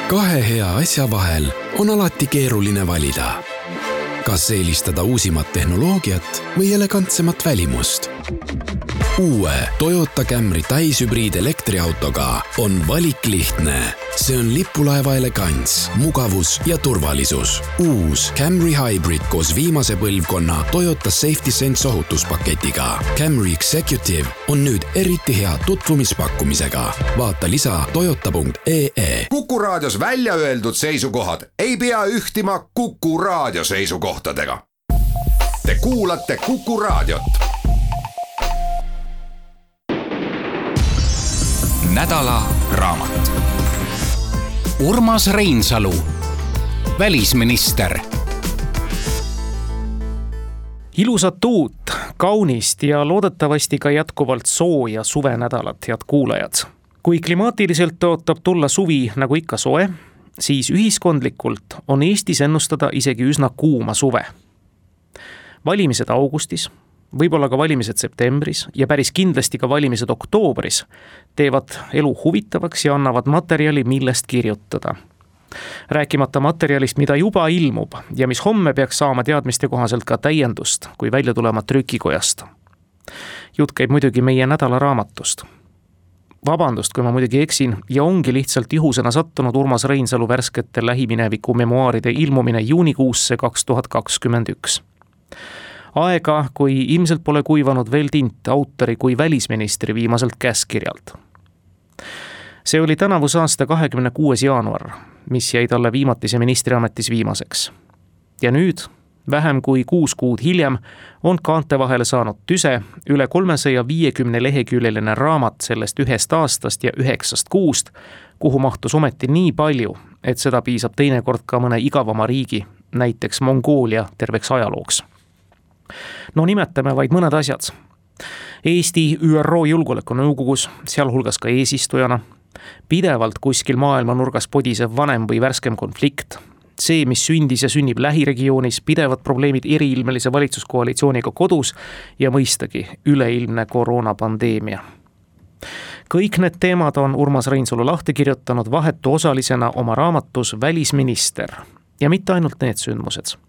Kahe hea asja vahel on alati keeruline valida. Kas eelistada uusimat tehnoloogiat või elegantsemat välimust? Uue Toyota Camry täishübriid elektriautoga on valik lihtne. See on lipulaeva elegants, mugavus ja turvalisus. Uus Camry Hybrid koos viimase põlvkonna Toyota Safety Sense ohutuspaketiga. Camry Executive on nüüd eriti hea tutvumispakkumisega. Vaata lisa toyota.ee. Kuku raadios välja öeldud seisukohad ei pea ühtima Kuku raadio seisukohtadega. Te kuulate Kuku raadiot. Nädala raamat. Urmas Reinsalu, välisminister. Ilusat uut, kaunist ja loodetavasti ka jätkuvalt sooja suvenädalat, head kuulajad. Kui klimaatiliselt ootab tulla suvi nagu ikka soe, siis ühiskondlikult on Eestis ennustada isegi üsna kuuma suve. Valimised augustis, võib-olla ka valimised septembris ja päris kindlasti ka valimised oktoobris teevad elu huvitavaks ja annavad materjali, millest kirjutada. Rääkimata materjalist, mida juba ilmub ja mis homme peaks saama teadmiste kohaselt ka täiendust, kui välja tulema trükikojast. Jutt käib muidugi meie nädalaraamatust. Vabandust, kui ma muidugi eksin ja ongi lihtsalt juhusena sattunud Urmas Reinsalu värskete lähimineviku memuaaride ilmumine juunikuusse 2021. Aega, kui ilmselt pole kuivanud veel tint autori kui välisministri viimaselt käskirjalt. See oli tänavuse aasta 26. jaanuar, mis jäi talle viimatise ministriametis viimaseks. Ja nüüd, vähem kui 6 kuud hiljem, on kaante vahele saanud tüse üle 350 leheküljeline raamat sellest 1 aastast ja 9 kuust, kuhu mahtus ometi nii palju, et seda piisab teinekord ka mõne igavama riigi, näiteks Mongoolia terveks ajalooks. No nimetame vaid mõned asjad. Eesti ÜRO Julgeolekunõukogus, sealhulgas ka eesistujana, pidevalt kuskil maailma nurgas podisev vanem või värskem konflikt, see, mis sündis ja sünnib lähiregioonis, pidevad probleemid eriilmelise valitsuskoalitsiooniga kodus ja mõistagi üleilmne koroonapandeemia. Kõik need teemad on Urmas Reinsalu lahti kirjutanud vahetu osalisena oma raamatus Välisminister ja mitte ainult need sündmused.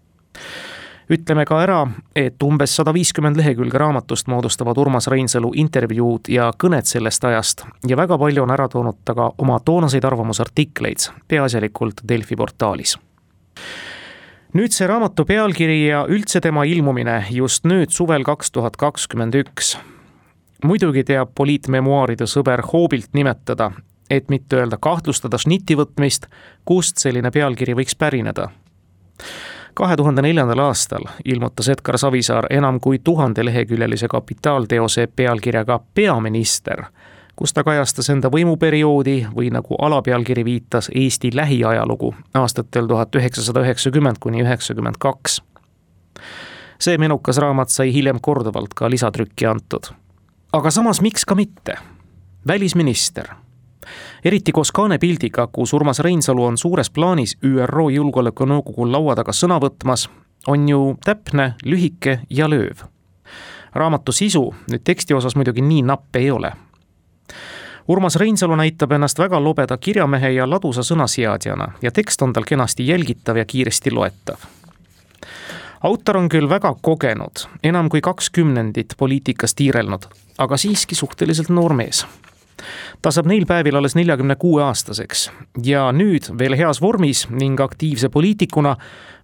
Ütleme ka ära, et umbes 150 lehekülge raamatust moodustavad Urmas Reinsalu intervjuud ja kõned sellest ajast ja väga palju on ära toonud ta ka oma toonaseid arvamusartikleid, peaasjalikult Delfi portaalis. Nüüd see raamatu pealkiri ja üldse tema ilmumine just nüüd suvel 2021. Muidugi teab poliitmemuaaride sõber hoobilt nimetada, et mitte öelda kahtlustada šnitti võtmist, kust selline pealkiri võiks pärineda. 2004. aastal ilmutas Edgar Savisaar enam kui 1000 leheküljelise kapitaalteose pealkirjaga Peaminister, kus ta kajastas enda võimuperioodi või nagu alapealkiri viitas Eesti lähiajalugu aastatel 1990–1992. See menukas raamat sai hiljem korduvalt ka lisatrükki antud. Aga samas miks ka mitte? Välisminister. Eriti koos kaanepildiga, kus Urmas Reinsalu on suures plaanis ÜRO Julgeolekunõukogu laua taga sõna võtmas, on ju täpne, lühike ja lööv. Raamatu sisu nüüd teksti osas muidugi nii napp ei ole. Urmas Reinsalu näitab ennast väga lobeda kirjamehe ja ladusa sõnaseadjana ja tekst on tal kenasti jälgitav ja kiiresti loetav. Autor on küll väga kogenud, enam kui 20 poliitikas tiirelnud, aga siiski suhteliselt noor mees. Ta saab neil päevil alles 46-aastaseks ja nüüd veel heas vormis ning aktiivse poliitikuna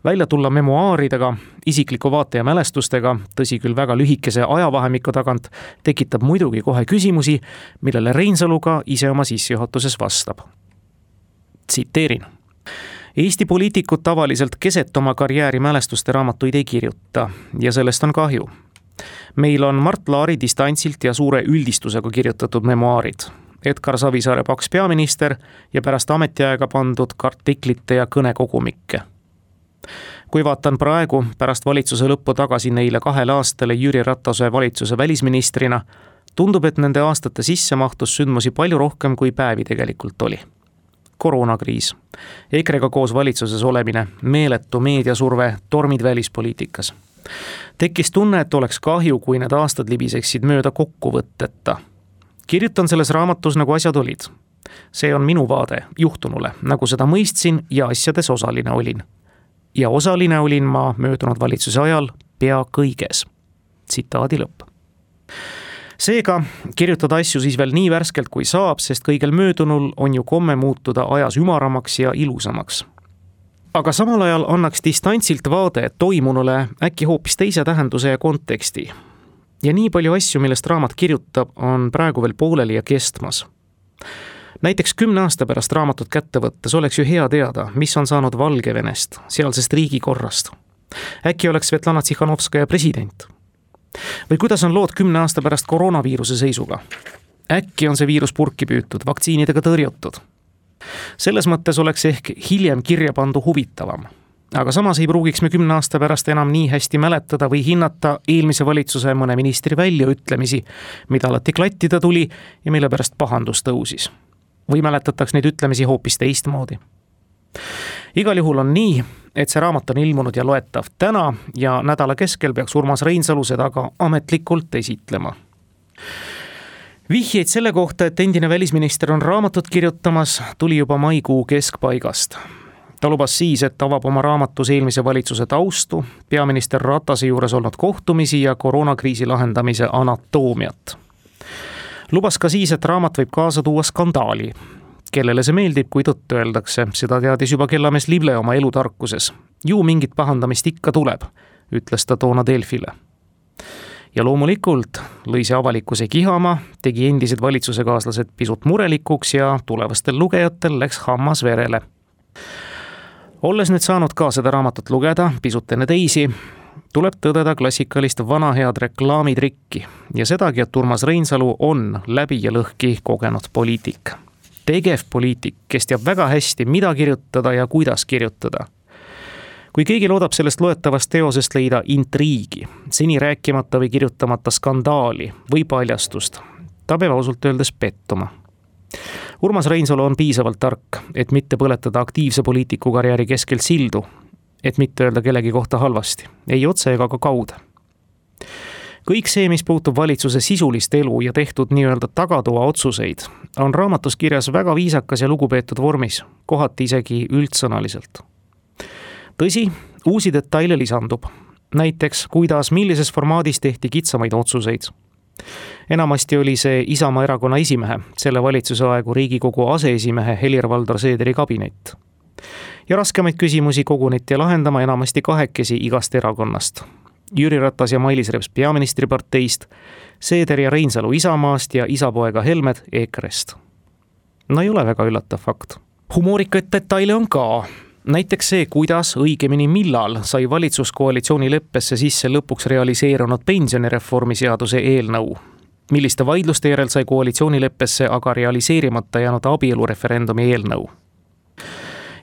välja tulla memuaaridega, isikliku vaate ja mälestustega, tõsi küll väga lühikese ajavahemiku tagant, tekitab muidugi kohe küsimusi, millele Reinsalu ka ise oma sissejuhatuses vastab. Tsiteerin. Eesti poliitikud tavaliselt keset oma karjääri mälestuste raamatuid ei kirjuta ja sellest on kahju. Meil on Mart Laari distantsilt ja suure üldistusega kirjutatud memuaarid, Edgar Savisaare Paks peaminister ja pärast ametiaega pandud artiklite ja kõnekogumikke. Kui vaatan praegu pärast valitsuse lõppu tagasi neile 2 aastale Jüri Ratase valitsuse välisministrina, tundub, et nende aastate sisse mahtus sündmusi palju rohkem kui päevi tegelikult oli. Koroonakriis, EKRE-ga koos valitsuses olemine, meeletu meediasurve, tormid välispoliitikas. Tekkis tunne, et oleks kahju, kui need aastad libiseksid mööda kokkuvõtteta. Kirjutan selles raamatus, nagu asjad olid. See on minu vaade juhtunule, nagu seda mõistsin ja asjades osaline olin. Ja osaline olin ma möödunud valitsuse ajal pea kõiges. Tsitaadi lõpp. Seega kirjutada asju siis veel nii värskelt kui saab, sest kõigel möödunul on ju komme muutuda ajas ümaramaks ja ilusamaks. Aga samal ajal annaks distantsilt vaade toimunule äkki hoopis teise tähenduse ja konteksti. Ja nii palju asju, millest raamat kirjutab, on praegu veel pooleli ja kestmas. Näiteks 10 aasta pärast raamatut kätte võttes oleks ju hea teada, mis on saanud Valgevenest, sealsest riigikorrast. Äkki oleks Svetlana Tsihhanovskaja president? Või kuidas on lood 10 aasta pärast koroonaviiruse seisuga? Äkki on see viirus purki püütud, vaktsiinidega tõrjutud? Selles mõttes oleks ehk hiljem kirja pandu huvitavam. Aga samas ei pruugiks me 10 aasta pärast enam nii hästi mäletada või hinnata eelmise valitsuse mõne ministri väljaütlemisi, mida alati klattida tuli ja mille pärast pahandus tõusis. Või mäletataks neid ütlemisi hoopis teistmoodi. Igal juhul on nii, et see raamat on ilmunud ja loetav täna ja nädala keskel peaks Urmas Reinsalu seda ka ametlikult esitlema. Vihjeid selle kohta, et endine välisminister on raamatut kirjutamas, tuli juba maikuu keskpaigast. Ta lubas siis, et avab oma raamatus eelmise valitsuse taustu, peaminister Ratase juures olnud kohtumisi ja koroonakriisi lahendamise anatoomiat. Lubas ka siis, et raamat võib kaasa tuua skandaali. Kellele see meeldib, kui tõtt öeldakse, seda teadis juba kellamees Lible oma elutarkuses. Ju mingit pahandamist ikka tuleb, ütles ta toona Delfile. Ja loomulikult lõi see avalikkuse kihama, tegi endised valitsusekaaslased pisut murelikuks ja tulevastel lugejatel läks hammas verele. Olles nüüd saanud ka seda raamatut lugeda, pisut enne teisi, tuleb tõdeda klassikalist vana head reklaamitrikki ja sedagi, et Urmas Reinsalu on läbi ja lõhki kogenud poliitik. Tegev poliitik, kes teab väga hästi, mida kirjutada ja kuidas kirjutada. Kui keegi loodab sellest loetavast teosest leida intriigi, seni rääkimata või kirjutamata skandaali või paljastust, ta peab ausalt öeldes pettuma. Urmas Reinsalu on piisavalt tark, et mitte põletada aktiivse poliitiku karjääri keskel sildu, et mitte öelda kellegi kohta halvasti, ei otse ega ka kaude. Kõik see, mis puutub valitsuse sisulist elu ja tehtud nii-öelda tagatoa otsuseid, on raamatus kirjas väga viisakas ja lugupeetud vormis, kohati isegi üldsõnaliselt. Tõsi, uusi detaile lisandub. Näiteks, kuidas, millises formaadis tehti kitsamaid otsuseid. Enamasti oli see Isamaa erakonna esimehe, selle valitsuse aegu Riigikogu aseesimehe Helir-Valdor Seederi kabinet. Ja raskemaid küsimusi koguniti lahendama enamasti kahekesi igast erakonnast. Jüri Ratas ja Mailis Reps peaministriparteist, Seeder ja Reinsalu Isamaast ja isapoega Helmed EKRE-st. No ei ole väga üllatav fakt. Humoorikaid detaile on ka. Näiteks see, kuidas, õigemini millal sai valitsuskoalitsiooni leppesse sisse lõpuks realiseerunud pensionireformi seaduse eelnõu. Milliste vaidluste järel sai koalitsioonileppesse aga realiseerimata jäänud abielureferendumi eelnõu.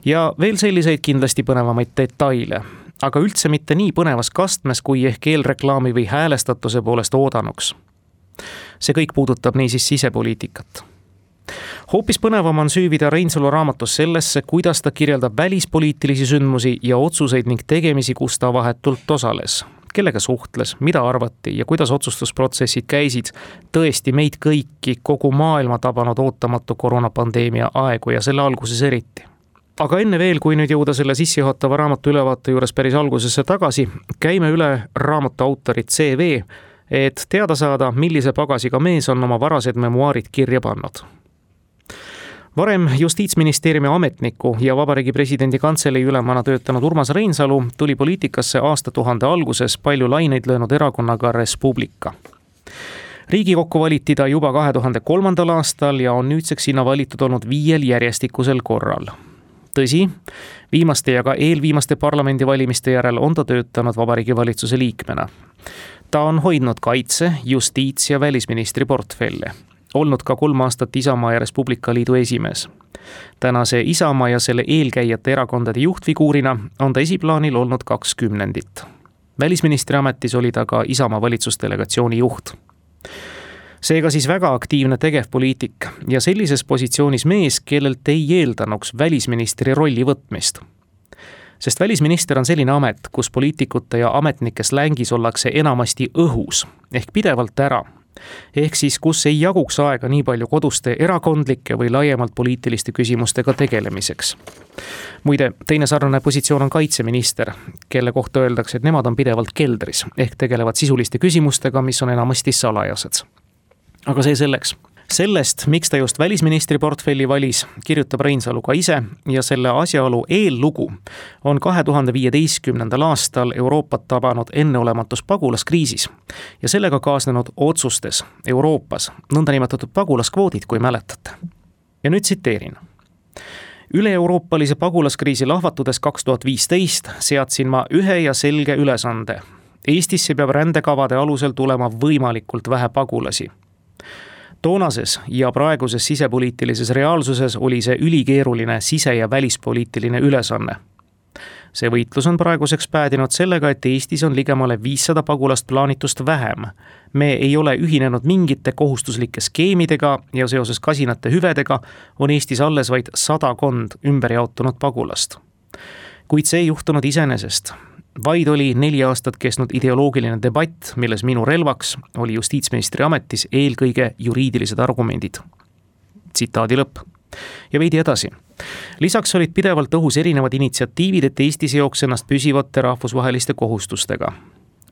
Ja veel selliseid kindlasti põnevamaid detaile, aga üldse mitte nii põnevas kastmes kui ehk eelreklaami või häälestatuse poolest oodanuks. See kõik puudutab niisiis sisepoliitikat. Hoopis põnevam on süüvida Reinsalu raamatus sellesse, kuidas ta kirjeldab välispoliitilisi sündmusi ja otsuseid ning tegemisi, kus ta vahetult osales. Kellega suhtles, mida arvati ja kuidas otsustusprotsessid käisid tõesti meid kõiki kogu maailma tabanud ootamatu koroonapandeemia aegu ja selle alguses eriti. Aga enne veel, kui nüüd jõuda selle sissejuhatava raamatu ülevaate juures päris algusesse tagasi, käime üle raamatu autorit CV, et teada saada, millise pagasiga mees on oma varased memuaarid kirja pannud. Varem Justiitsministeeriumi ametniku ja Vabariigi Presidendi Kantselei ülemana töötanud Urmas Reinsalu tuli poliitikasse aastatuhande alguses palju laineid löönud erakonnaga Res Publica. Riigikokku valiti ta juba 2003. aastal ja on nüüdseks sinna valitud olnud 5 järjestikusel korral. Tõsi, viimaste ja ka eelviimaste parlamendivalimiste järel on ta töötanud Vabariigi Valitsuse liikmena. Ta on hoidnud kaitse, justiits- ja välisministri portfelle. Olnud ka 3 aastat Isamaa ja Res Publica Liidu esimees. Tänase Isamaa ja selle eelkäijate erakondade juhtfiguurina on ta esiplaanil olnud 20. Välisministri ametis oli ta ka Isamaa valitsusdelegatsiooni juht. Seega siis väga aktiivne tegevpoliitik ja sellises positsioonis mees, kellelt ei eeldanuks välisministri rolli võtmist. Sest välisminister on selline amet, kus poliitikute ja ametnike slängis ollakse enamasti õhus ehk pidevalt ära, Ehk siis, kus ei jaguks aega nii palju koduste erakondlike või laiemalt poliitiliste küsimustega tegelemiseks. Muide, teine sarnane positsioon on kaitseminister, kelle kohta öeldakse, et nemad on pidevalt keldris, ehk tegelevad sisuliste küsimustega, mis on enamasti salajased. Aga see selleks. Sellest, miks ta just välisministri portfelli valis, kirjutab Reinsalu ka ise ja selle asjaolu eellugu on 2015. aastal Euroopat tabanud enneolematus pagulaskriisis ja sellega kaasnenud otsustes Euroopas, nõndanimetatud pagulaskvoodid, kui mäletate. Ja nüüd tsiteerin. Üle-euroopalise pagulaskriisi lahvatudes 2015 seadsin ma ühe ja selge ülesande. Eestisse peab rändekavade alusel tulema võimalikult vähe pagulasi. Toonases ja praeguses sisepoliitilises reaalsuses oli see ülikeeruline sise- ja välispoliitiline ülesanne. See võitlus on praeguseks päädinud sellega, et Eestis on ligemale 500 pagulast plaanitust vähem. Me ei ole ühinenud mingite kohustuslike skeemidega ja seoses kasinate hüvedega on Eestis alles vaid 100 ümberjaotunud pagulast. Kuid see ei juhtunud iseenesest. Vaid oli 4 aastat kestnud ideoloogiline debatt, milles minu relvaks oli justiitsministri ametis eelkõige juriidilised argumendid. Tsitaadi lõpp. Ja veidi edasi. Lisaks olid pidevalt õhus erinevad initsiatiivid, et Eesti seoks ennast püsivate rahvusvaheliste kohustustega.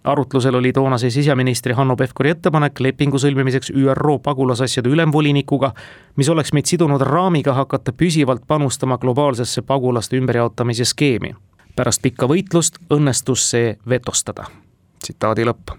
Arutlusel oli toonase siseministri Hanno Pevkuri ettepanek lepingu sõlmimiseks ÜRO pagulasasjade ülemvolinikuga, mis oleks meid sidunud raamiga hakata püsivalt panustama globaalsesse pagulaste ümberjaotamise skeemi. Pärast pikka võitlust õnnestus see vetostada. Tsitaadi lõpp.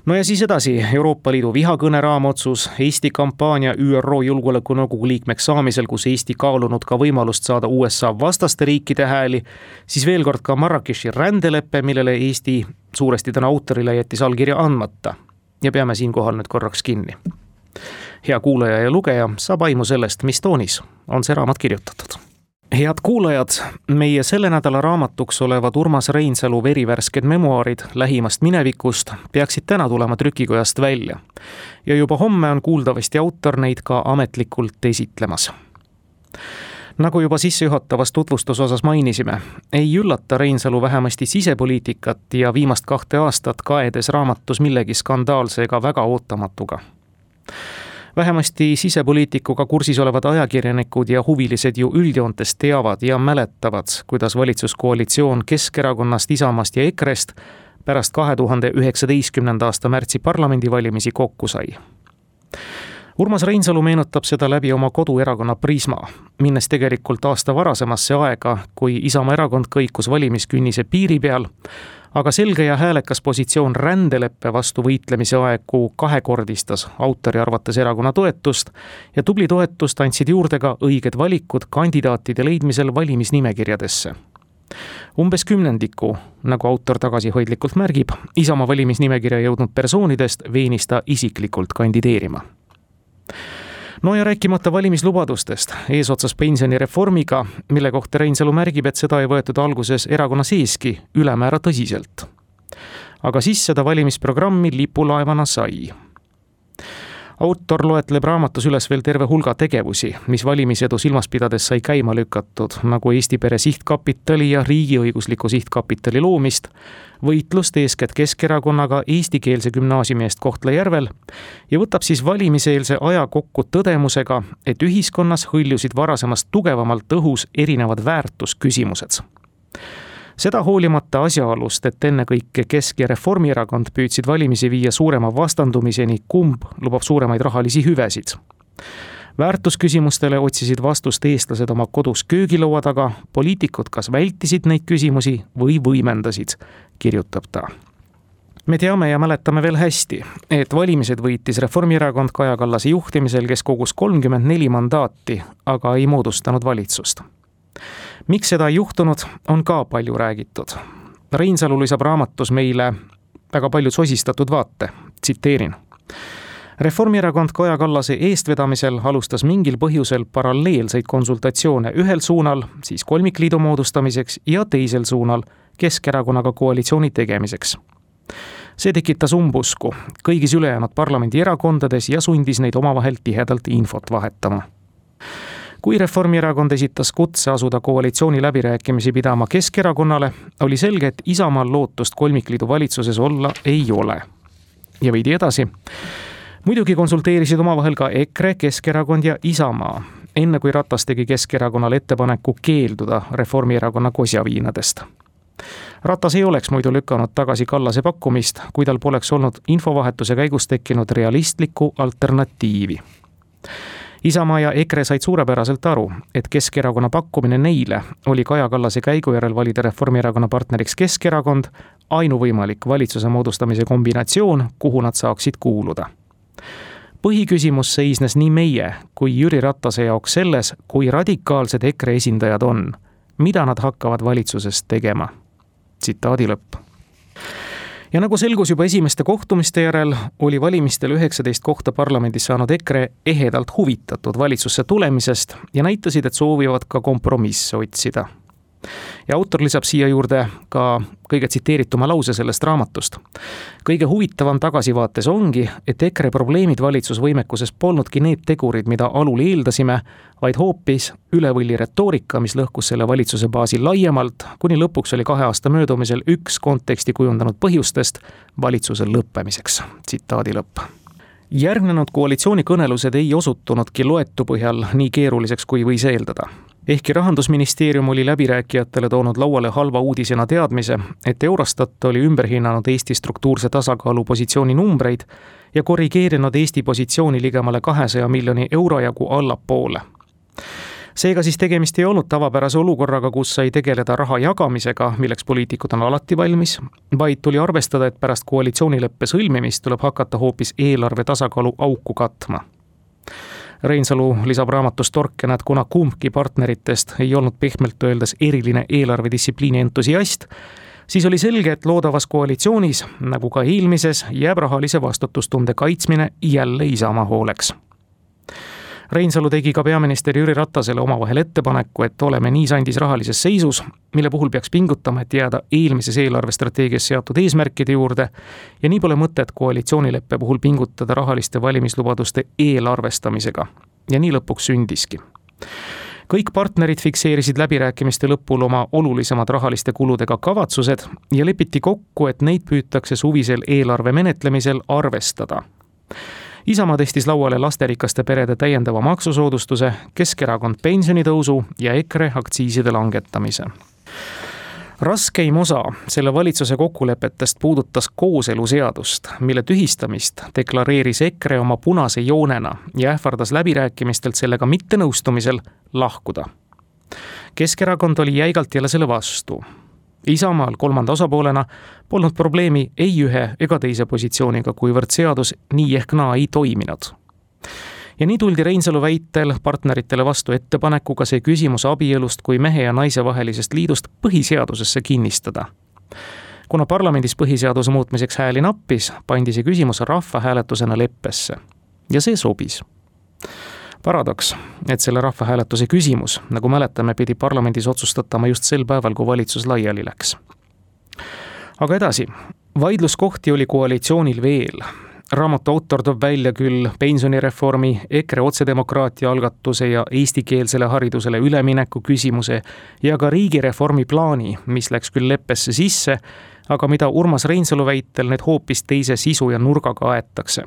No ja siis edasi Euroopa Liidu vihakõne raamotsus, Eesti kampaania ÜRO Julgeolekunõukogu liikmeks saamisel, kus Eesti kaalunud ka võimalust saada USA vastaste riikide hääli, siis veel kord ka Marrakechi rändeleppe, millele Eesti suuresti täna autorile jättis allkirja andmata. Ja peame siinkohal nüüd korraks kinni. Hea kuulaja ja lugeja saab aimu sellest, mis toonis on see raamat kirjutatud. Head kuulajad, meie selle nädala raamatuks olevad Urmas Reinsalu verivärsked memuaarid lähimast minevikust peaksid täna tulema trükikojast välja. Ja juba homme on kuuldavasti autor neid ka ametlikult esitlemas. Nagu juba sissejuhatavas tutvustusosas mainisime, ei üllata Reinsalu vähemasti sisepoliitikat ja viimast 2 aastat kaedes raamatus millegi skandaalse ega väga ootamatuga. Vähemasti sisepoliitikuga kursis olevad ajakirjanikud ja huvilised ju üldjoontes teavad ja mäletavad, kuidas valitsuskoalitsioon Keskerakonnast, Isamaast ja EKRE-st pärast 2019. aasta märtsi parlamendivalimisi kokku sai. Urmas Reinsalu meenutab seda läbi oma koduerakonna Prisma, minnes tegelikult aasta varasemasse aega, kui Isamaa erakond kõikus valimiskünnise piiri peal, aga selge ja häälekas positsioon rändeleppe vastu võitlemise aegu kahekordistas autori arvates erakonna toetust ja tubli toetust andsid juurde ka õiged valikud kandidaatide leidmisel valimisnimekirjadesse. Umbes 10, nagu autor tagasihoidlikult märgib, Isamaa valimisnimekirja jõudnud persoonidest veenis ta isiklikult kandideerima. No ja rääkimata valimislubadustest, eesotsas pensionireformiga, mille kohta Reinsalu märgib, et seda ei võetud alguses erakonna seeski ülemäära tõsiselt. Aga siis seda valimisprogrammi lipulaevana sai. Autor loetleb raamatus üles veel terve hulga tegevusi, mis valimisedu silmas pidades sai käima lükatud, nagu Eesti Pere Sihtkapitali ja riigiõigusliku sihtkapitali loomist, võitlust eeskätt Keskerakonnaga eestikeelse gümnaasiumi eest Kohtla-Järvel ja võtab siis valimiseelse aja kokku tõdemusega, et ühiskonnas hõljusid varasemast tugevamalt õhus erinevad väärtusküsimused. Seda hoolimata asjaolust, et ennekõike Kesk- ja Reformierakond püüdsid valimisi viia suurema vastandumiseni, kumb lubab suuremaid rahalisi hüvesid. Väärtusküsimustele otsisid vastust eestlased oma kodus köögilaua taga, poliitikud kas vältisid neid küsimusi või võimendasid, kirjutab ta. Me teame ja mäletame veel hästi, et valimised võitis Reformierakond Kaja Kallase juhtimisel, kes kogus 34 mandaati, aga ei moodustanud valitsust. Miks seda ei juhtunud, on ka palju räägitud. Reinsalu lisab raamatus meile väga palju sosistatud vaate. Tsiteerin. Reformierakond Kaja Kallase eestvedamisel alustas mingil põhjusel paralleelseid konsultatsioone ühel suunal, siis kolmikliidu moodustamiseks ja teisel suunal Keskerakonnaga koalitsiooni tegemiseks. See tekitas umbusku kõigis ülejäänud parlamendi erakondades ja sundis neid omavahel tihedalt infot vahetama. Kui Reformierakond esitas kutse asuda koalitsiooni läbirääkimisi pidama Keskerakonnale, oli selge, et Isamaal lootust kolmikliidu valitsuses olla ei ole. Ja veidi edasi. Muidugi konsulteerisid omavahel ka EKRE, Keskerakond ja Isamaa, enne kui Ratas tegi Keskerakonnale ettepaneku keelduda Reformierakonna kosjaviinadest. Ratas ei oleks muidu lükanud tagasi Kallase pakkumist, kui tal poleks olnud infovahetuse käigus tekkinud realistlikku alternatiivi. Isamaa ja EKRE said suurepäraselt aru, et Keskerakonna pakkumine neile oli Kaja Kallase käigu järel valida Reformierakonna partneriks Keskerakond ainuvõimalik valitsuse moodustamise kombinatsioon, kuhu nad saaksid kuuluda. Põhiküsimus seisnes nii meie kui Jüri Ratase jaoks selles, kui radikaalsed EKRE esindajad on, mida nad hakkavad valitsuses tegema. Tsitaadi lõpp. Ja nagu selgus juba esimeste kohtumiste järel, oli valimistel 19 kohta parlamendis saanud EKRE ehedalt huvitatud valitsusse tulemisest ja näitasid, et soovivad ka kompromisse otsida. Ja autor lisab siia juurde ka kõige tsiteerituma lause sellest raamatust. Kõige huvitavam tagasivaates ongi, et EKRE probleemid valitsusvõimekuses polnudki need tegurid, mida alul eeldasime, vaid hoopis ülevõlli retoorika, mis lõhkus selle valitsuse baasi laiemalt, kuni lõpuks oli 2 aasta möödumisel üks konteksti kujundanud põhjustest valitsuse lõppemiseks. Tsitaadi lõpp. Järgnenud koalitsioonikõnelused ei osutunudki loetu põhjal nii keeruliseks, kui võis eeldada. Ehkki Rahandusministeerium oli läbirääkijatele toonud lauale halva uudisena teadmise, et Eurostat oli ümberhinnanud Eesti struktuurse tasakaalu positsiooni numbreid ja korrigeerinud Eesti positsiooni ligemale 200 miljoni euro jagu allapoole. Seega siis tegemist ei olnud tavapärase olukorraga, kus sai tegeleda raha jagamisega, milleks poliitikud on alati valmis, vaid tuli arvestada, et pärast koalitsioonileppe sõlmimist tuleb hakata hoopis eelarve tasakaalu auku katma. Reinsalu lisab raamatus torkena, et kuna kumbki partneritest ei olnud pehmelt öeldes eriline eelarvedistsipliini entusiast, siis oli selge, et loodavas koalitsioonis, nagu ka eelmises, jääb rahalise vastutustunde kaitsmine jälle Isamaa hooleks. Reinsalu tegi ka peaminister Jüri Ratasele omavahel ettepaneku, et oleme nii sandis rahalises seisus, mille puhul peaks pingutama, et jääda eelmises eelarvestrateegias seatud eesmärkide juurde ja nii pole mõtet koalitsioonileppe puhul pingutada rahaliste valimislubaduste eelarvestamisega. Ja nii lõpuks sündiski. Kõik partnerid fikseerisid läbirääkimiste lõpul oma olulisemad rahaliste kuludega kavatsused ja lepiti kokku, et neid püütakse suvisel eelarve menetlemisel arvestada. Isamaa tõstis lauale lasterikaste perede täiendava maksusoodustuse, Keskerakond pensionitõusu ja EKRE aktsiiside langetamise. Raskeim osa selle valitsuse kokkulepetest puudutas kooseluseadust, mille tühistamist deklareeris EKRE oma punase joonena ja ähvardas läbirääkimistelt sellega mittenõustumisel lahkuda. Keskerakond oli jäigalt jälle selle vastu. Isamaal kolmanda osapoolena polnud probleemi ei ühe ega teise positsiooniga, kuivõrd seadus nii ehk naa ei toiminud. Ja nii tuldi Reinsalu väitel partneritele vastu ettepanekuga see küsimus abielust kui mehe ja naise vahelisest liidust põhiseadusesse kinnistada. Kuna parlamendis põhiseaduse muutmiseks hääli nappis, pandi see küsimus rahvahääletusena leppesse. Ja see sobis. Paradoks, et selle rahvahääletuse küsimus, nagu mäletame, pidi parlamendis otsustatama just sel päeval, kui valitsus laiali läks. Aga edasi, vaidluskohti oli koalitsioonil veel. Raamatu autor toob välja küll pensionireformi, EKRE otsedemokraatia algatuse ja eestikeelsele haridusele ülemineku küsimuse ja ka riigireformi plaani, mis läks küll leppesse sisse, aga mida Urmas Reinsalu väitel need hoopis teise sisu ja nurgaga aetakse.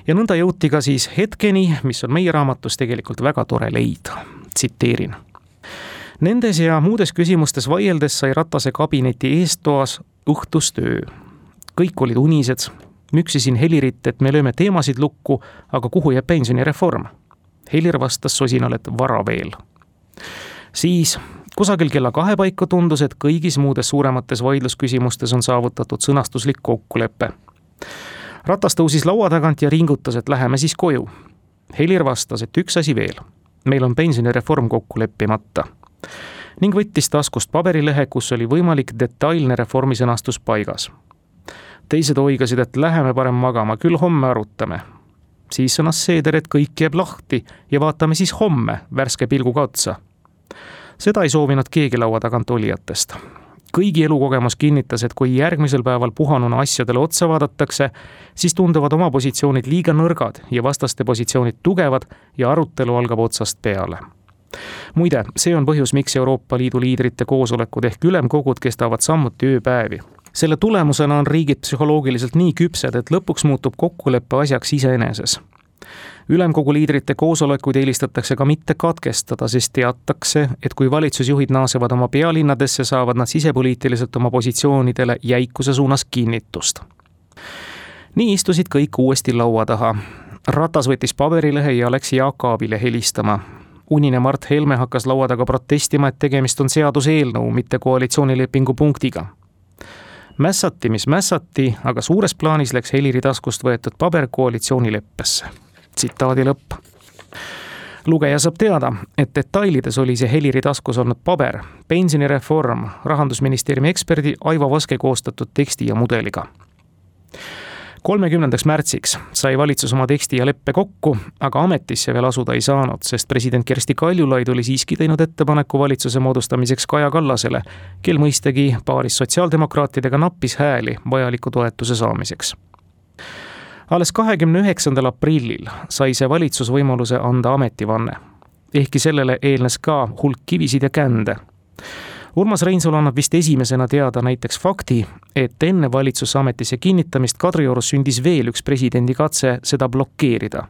Ja nõnda jõuti ka siis hetkeni, mis on meie raamatus tegelikult väga tore leid. Tsiteerin. Nendes ja muudes küsimustes vaieldes sai Ratase kabineti eestoas õhtustöö. Kõik olid unised. Müksisin Helirit, et me lööme teemasid lukku, aga kuhu jääb pensionireform? Helir vastas sosinal, et vara veel. Siis kusagil kella 2 paiku tundus, et kõigis muudes suuremates vaidlusküsimustes on saavutatud sõnastuslik kokkulepe. Ratas tõusis laua tagant ja ringutas, et läheme siis koju. Helir vastas, et üks asi veel. Meil on pensionireform kokku leppimata. Ning võttis taskust paberilehe, kus oli võimalik detailne reformi sõnastus paigas. Teised oigasid, et läheme parem magama, küll homme arutame. Siis sõnas Seeder, et kõik jääb lahti ja vaatame siis homme värske pilguga otsa. Seda ei soovinud keegi laua tagant olijatest. Kõigi elukogemus kinnitas, et kui järgmisel päeval puhanuna asjadele otsa vaadatakse, siis tunduvad oma positsioonid liiga nõrgad ja vastaste positsioonid tugevad ja arutelu algab otsast peale. Muide, see on põhjus, miks Euroopa Liidu liidrite koosolekud ehk ülemkogud kestavad samuti ööpäevi. Selle tulemusena on riigid psühholoogiliselt nii küpsed, et lõpuks muutub kokkuleppe asjaks iseeneses. Ülemkogu liidrite koosolekuid eelistatakse ka mitte katkestada, sest teatakse, et kui valitsusjuhid naasevad oma pealinnadesse, saavad nad sisepoliitiliselt oma positsioonidele jäikuse suunas kinnitust. Nii istusid kõik uuesti laua taha. Ratas võttis paberilehe ja läks Jaak Aabile helistama. Unine Mart Helme hakkas laua taga protestima, et tegemist on seaduseelnõu, mitte koalitsioonilepingu punktiga. Mässati, mis mässati, aga suures plaanis läks Heliri taskust võetud paber koalitsioonileppesse. Tsitaadi lõpp. Lugeja saab teada, et detailides oli see Heliri taskus olnud paber, pensionireform, Rahandusministeeriumi eksperdi Aivo Vaske koostatud teksti ja mudeliga. 30. märtsiks sai valitsus oma teksti ja leppe kokku, aga ametisse veel asuda ei saanud, sest president Kersti Kaljulaid oli siiski teinud ettepaneku valitsuse moodustamiseks Kaja Kallasele, kel mõistagi paaris sotsiaaldemokraatidega nappis hääli vajaliku toetuse saamiseks. Alles 29. aprillil sai see valitsus võimaluse anda ametivanne. Ehkki sellele eelnes ka hulk kivisid ja kände. Urmas Reinsalu annab vist esimesena teada näiteks fakti, et enne valitsusse ametisse kinnitamist Kadriorus sündis veel üks presidendi katse seda blokeerida.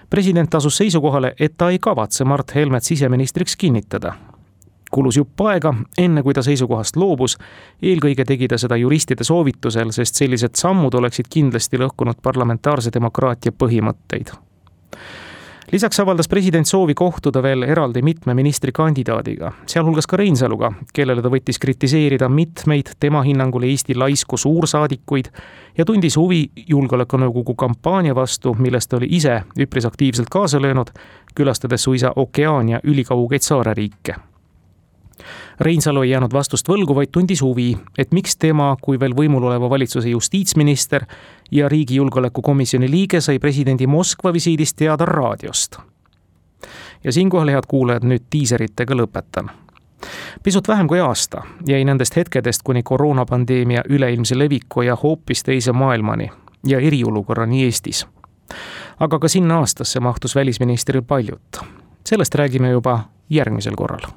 President asus seisukohale, et ta ei kavatse Mart Helmet siseministriks kinnitada. Kulus jupp aega, enne kui ta seisukohast loobus, eelkõige tegi ta seda juristide soovitusel, sest sellised sammud oleksid kindlasti lõhkunud parlamentaarse demokraatia põhimõtteid. Lisaks avaldas president soovi kohtuda veel eraldi mitme ministrikandidaadiga, sealhulgas ka Reinsaluga, kellele ta võttis kritiseerida mitmeid tema hinnangul Eesti laisku suursaadikuid ja tundis huvi julgeolekunõukogu kampaania vastu, millest oli ise üpris aktiivselt kaasa löönud, külastades suisa Okeaania ülikaugeid saareriike. Reinsalu ei jäänud vastust võlgu, vaid tundis huvi, et miks tema kui veel võimul oleva valitsuse justiitsminister ja riigi julgeolekukomisjoni liige sai presidendi Moskva visiidist teada raadiost. Ja siinkohal, head kuulajad, nüüd tiiseritega lõpetan. Pisut vähem kui aasta jäi nendest hetkedest kuni koroonapandeemia üleilmse leviku ja hoopis teise maailmani ja eriolukorrani Eestis. Aga ka sinna aastasse mahtus välisministril paljut. Sellest räägime juba järgmisel korral.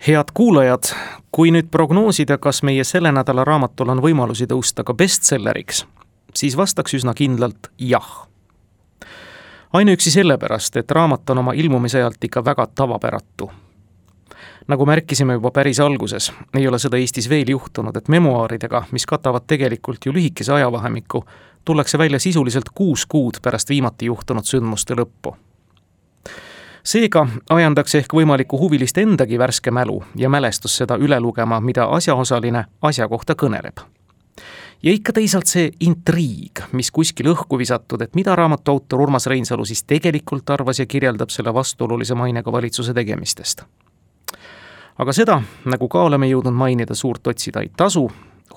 Head kuulajad, kui nüüd prognoosida, kas meie selle nädala raamatul on võimalusi tõusta ka bestselleriks, siis vastaks üsna kindlalt jah. Ainuüksi sellepärast, et raamat on oma ilmumise ajalt ikka väga tavapäratu. Nagu märkisime juba päris alguses, ei ole seda Eestis veel juhtunud, et memuaaridega, mis katavad tegelikult ju lühikese ajavahemikku, tullakse välja sisuliselt 6 kuud pärast viimati juhtunud sündmuste lõppu. Seega ajandaks ehk võimaliku huvilist endagi värske mälu ja mälestus seda üle lugema, mida asjaosaline asja kohta kõneleb. Ja ikka teisalt see intriig, mis kuskil õhku visatud, et mida raamatu autor Urmas Reinsalu siis tegelikult arvas ja kirjeldab selle vastuolulise mainega valitsuse tegemistest. Aga seda, nagu ka oleme jõudnud mainida, suurt otsida ei tasu,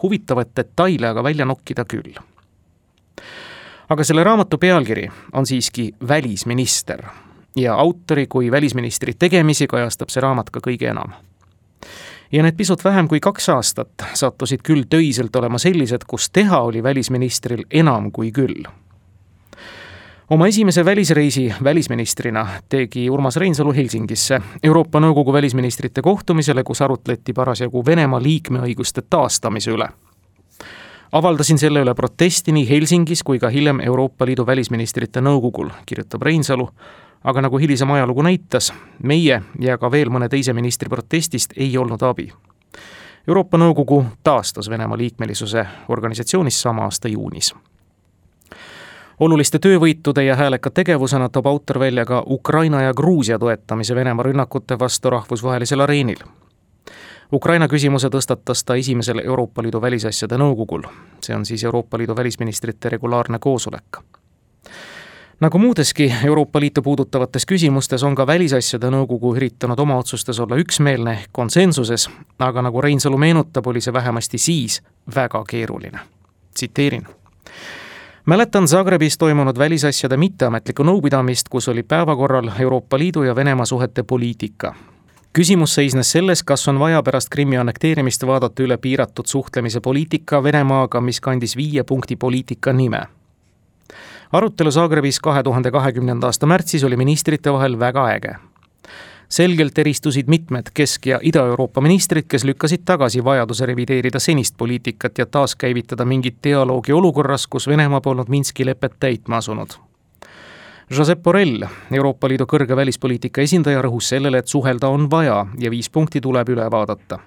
huvitavat detaile aga välja nokkida küll. Aga selle raamatu pealkiri on siiski Välisminister. Ja autori kui välisministri tegemisi kajastab see raamat ka kõige enam. Ja need pisut vähem kui 2 aastat sattusid küll töiselt olema sellised, kus teha oli välisministril enam kui küll. Oma esimese välisreisi välisministrina tegi Urmas Reinsalu Helsingisse Euroopa Nõukogu välisministrite kohtumisele, kus arutleti parasjagu Venemaa liikmeõiguste taastamise üle. Avaldasin selle üle protesti nii Helsingis kui ka hiljem Euroopa Liidu välisministrite nõukogul, kirjutab Reinsalu, aga nagu hilisem ajalugu näitas, meie ja ka veel mõne teise ministri protestist ei olnud abi. Euroopa Nõukogu taastas Venemaa liikmelisuse organisatsioonis sama aasta juunis. Oluliste töövõitude ja hääleka tegevusena toob autor välja ka Ukraina ja Gruusia toetamise Venemaa rünnakute vastu rahvusvahelisel areenil. Ukraina küsimuse tõstatas ta esimesel Euroopa Liidu välisasjade nõukogul. See on siis Euroopa Liidu välisministrite regulaarne koosolek. Nagu muudeski Euroopa Liitu puudutavates küsimustes on ka välisasjade nõukogu üritanud oma otsustes olla üksmeelne konsensuses, aga nagu Reinsalu meenutab, oli see vähemasti siis väga keeruline. Tsiteerin. Mäletan Zagrebis toimunud välisasjade mitteametlikku nõupidamist, kus oli päevakorral Euroopa Liidu ja Venemaa suhete poliitika. Küsimus seisnes selles, kas on vaja pärast Krimmi annekteerimist vaadata üle piiratud suhtlemise poliitika Venemaaga, mis kandis 5 punkti poliitika nime. Arutelu Zagrebis 2020. aasta märtsis oli ministrite vahel väga äge. Selgelt eristusid mitmed Kesk- ja Ida-Euroopa ministrid, kes lükkasid tagasi vajaduse revideerida senist poliitikat ja taaskäivitada mingit dialoogi olukorras, kus Venemaa polnud Minski lepet täitma asunud. Josep Borrell, Euroopa Liidu kõrge välispoliitika esindaja, rõhus sellele, et suhelda on vaja ja 5 punkti tuleb üle vaadata.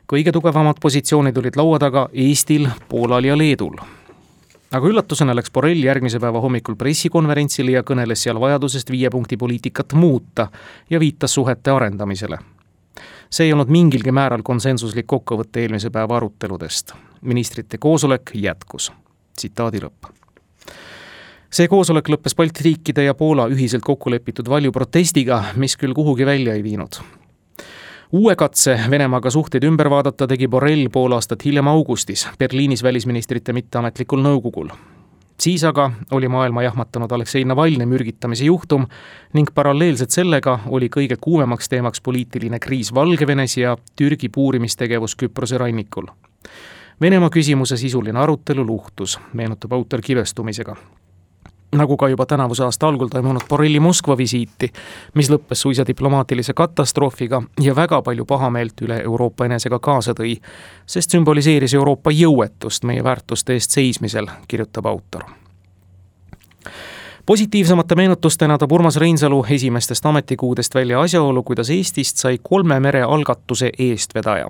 Kõige tugevamad positsioonid olid laua taga Eestil, Poolal ja Leedul. Aga üllatusena läks Borrell järgmise päeva hommikul pressikonverentsile ja kõneles seal vajadusest 5 punkti poliitikat muuta ja viitas suhete arendamisele. See ei olnud mingilgi määral konsensuslik kokkuvõtte eelmise päeva aruteludest. Ministrite koosolek jätkus. Tsitaadi lõpp. See koosolek lõppes Balti riikide ja Poola ühiselt kokkulepitud valjuprotestiga, mis küll kuhugi välja ei viinud. Uue katse Venemaaga suhteid ümber vaadata tegi Borrell pool aastat hiljem augustis Berliinis välisministrite mitteametlikul nõukogul. Siis aga oli maailma jahmatanud Aleksei Navalnõi mürgitamise juhtum ning paralleelselt sellega oli kõige kuumemaks teemaks poliitiline kriis Valgevenes ja Türgi puurimistegevus Küprose rannikul. Venemaa küsimuse sisuline arutelu luhtus, meenutab autor kibestumisega. Nagu ka juba tänavuse aasta algul toimunud Borrelli Moskva visiiti, mis lõppes suisa diplomaatilise katastroofiga ja väga palju pahameelt üle Euroopa enesega kaasa tõi, sest sümboliseeris Euroopa jõuetust meie väärtuste eest seismisel, kirjutab autor. Positiivsemate meenutustena toob Urmas Reinsalu esimestest ametikuudest välja asjaolu, kuidas Eestist sai 3 mere algatuse eestvedaja.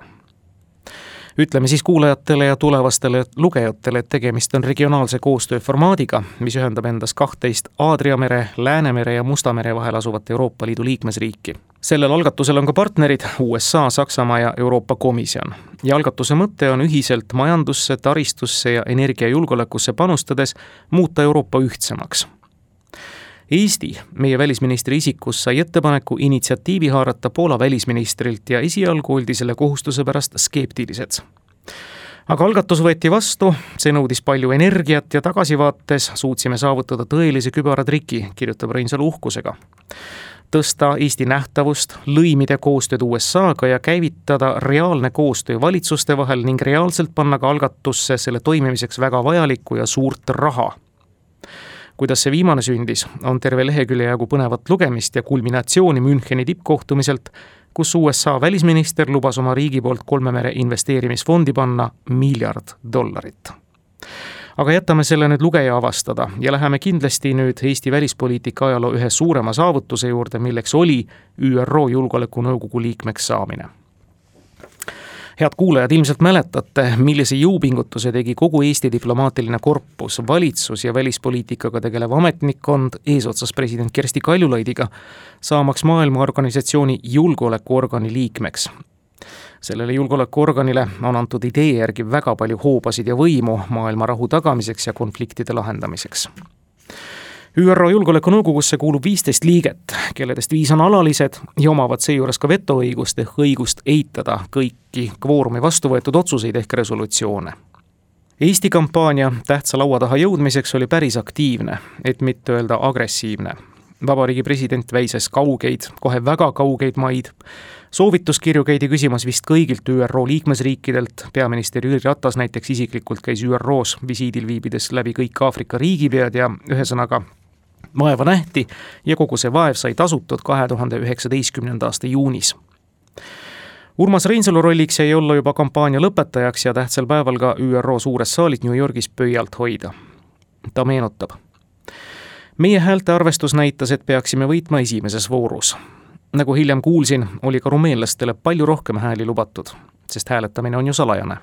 Ütleme siis kuulajatele ja tulevastele lugejatele, et tegemist on regionaalse koostöö formaadiga, mis ühendab endas 12 Aadria mere, Läänemere ja Musta mere vahel asuvat Euroopa Liidu liikmesriiki. Sellel algatusel on ka partnerid USA, Saksamaa ja Euroopa Komisjon. Ja algatuse mõte on ühiselt majandusse, taristusse ja energiajulgeolekusse panustades muuta Euroopa ühtsemaks. Eesti, meie välisministri isikus, sai ettepaneku initsiatiivi haarata Poola välisministrilt ja esialgu oldi selle kohustuse pärast skeptilised. Aga algatus võeti vastu, see nõudis palju energiat ja tagasivaates suutsime saavutada tõelise kübaratriki, kirjutab Reinsalu uhkusega. Tõsta Eesti nähtavust, lõimida koostööd USA-ga ja käivitada reaalne koostöö valitsuste vahel ning reaalselt panna ka algatusse selle toimimiseks väga vajalikku ja suurt raha. Kuidas see viimane sündis, on terve lehekülje jagu põnevat lugemist ja kulminatsiooni Müncheni tippkohtumiselt, kus USA välisminister lubas oma riigi poolt 3 mere investeerimisfondi panna $1 miljard. Aga jätame selle nüüd lugeja avastada ja läheme kindlasti nüüd Eesti välispoliitika ajaloo ühe suurema saavutuse juurde, milleks oli ÜRO Julgeolekunõukogu liikmeks saamine. Head kuulajad, ilmselt mäletate, millise jõupingutuse tegi kogu Eesti diplomaatiline korpus, valitsus ja välispoliitikaga tegelev ametnikkond eesotsas president Kersti Kaljulaidiga, saamaks maailmaorganisatsiooni julgeolekuorgani liikmeks. Sellele julgeolekuorganile on antud idee järgi väga palju hoobasid ja võimu maailma rahu tagamiseks ja konfliktide lahendamiseks. ÜRO Julgeolekunõukogusse kuulub 15 liiget, kelledest 5 on alalised ja omavad seejuures ka vetoõigust ehk õigust eitada kõiki kvoorumi vastu võetud otsuseid ehk resolutsioone. Eesti kampaania tähtsa laua taha jõudmiseks oli päris aktiivne, et mitte öelda agressiivne. Vabariigi president väises kaugeid, kohe väga kaugeid maid. Soovituskirju käidi küsimas vist kõigilt ÜRO liikmesriikidelt. Peaminister Jüri Ratas näiteks isiklikult käis ÜROs visiidil viibides läbi kõik Aafrika riigipead ja ühesõnaga vaeva nähti ja kogu see vaev sai tasutud 2019. aasta juunis. Urmas Reinsalu rolliks jäi olla juba kampaania lõpetajaks ja tähtsal päeval ka ÜRO suures saalis New Yorgis pöialt hoida. Ta meenutab. Meie häälte arvestus näitas, et peaksime võitma esimeses voorus. Nagu hiljem kuulsin, oli ka rumeenlastele palju rohkem hääli lubatud, sest hääletamine on ju salajane.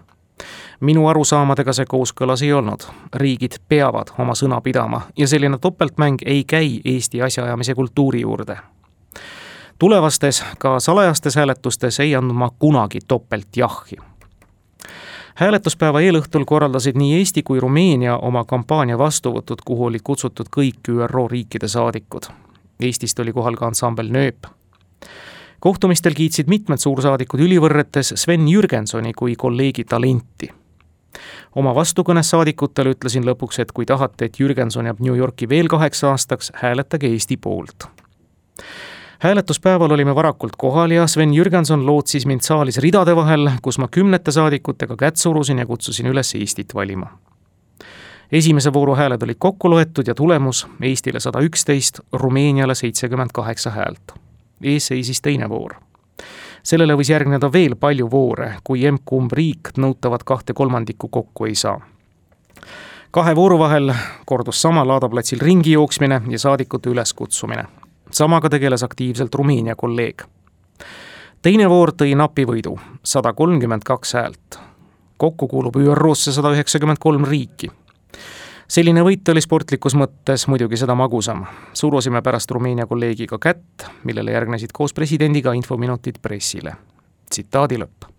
Minu arusaamadega see kooskõlas ei olnud. Riigid peavad oma sõna pidama ja selline topeltmäng ei käi Eesti asjaajamise kultuuri juurde. Tulevastes, ka salajastes hääletustes ei andnud ma kunagi topelt jahhi. Hääletuspäeva eelõhtul korraldasid nii Eesti kui Rumeenia oma kampaania vastuvõtud, kuhu olid kutsutud kõik ÜRO riikide saadikud. Eestist oli kohal ka ansambel Nööp. Kohtumistel kiitsid mitmed suursaadikud ülivõrretes Sven Jürgensoni kui kolleegi talenti. Oma vastukõnes saadikutele ütlesin lõpuks, et kui tahate, et Jürgenson jääb New Yorki veel 8 aastaks, hääletage Eesti poolt. Hääletuspäeval olime varakult kohal ja Sven Jürgenson lootsis mind saalis ridade vahel, kus ma 10 saadikutega kätt surusin ja kutsusin üles Eestit valima. Esimese vooru hääled olid kokku loetud ja tulemus Eestile 111, Rumeeniale 78 häält. Ees seisis teine voor. Sellele võis järgneda veel palju voore, kui emb-kumb riik nõutavat 2/3 kokku ei saa. 2 vooru vahel kordus sama laadaplatsil ringi jooksmine ja saadikute üleskutsumine. Samaga tegeles aktiivselt Rumeenia kolleeg. Teine voor tõi napi võidu, 132 häält. Kokku kuulub ÜRO-sse 193 riiki. Selline võit oli sportlikus mõttes muidugi seda magusam. Surusime pärast Rumeenia kolleegiga kätt, millele järgnesid koos presidendiga infominutid pressile. Tsitaadi lõpp.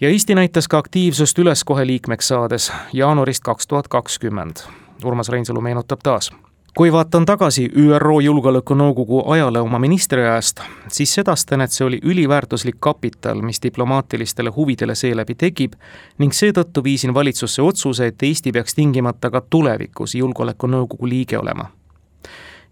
Ja Eesti näitas ka aktiivsust üles kohe liikmeks saades jaanuarist 2020. Urmas Reinsalu meenutab taas. Kui vaatan tagasi ÜRO Julgeolekunõukogu ajale oma ministriajast, siis sedastan, et see oli üliväärtuslik kapital, mis diplomaatilistele huvidele seeläbi tekib ning seetõttu viisin valitsusse otsuse, et Eesti peaks tingimata ka tulevikus Julgeolekunõukogu liige olema.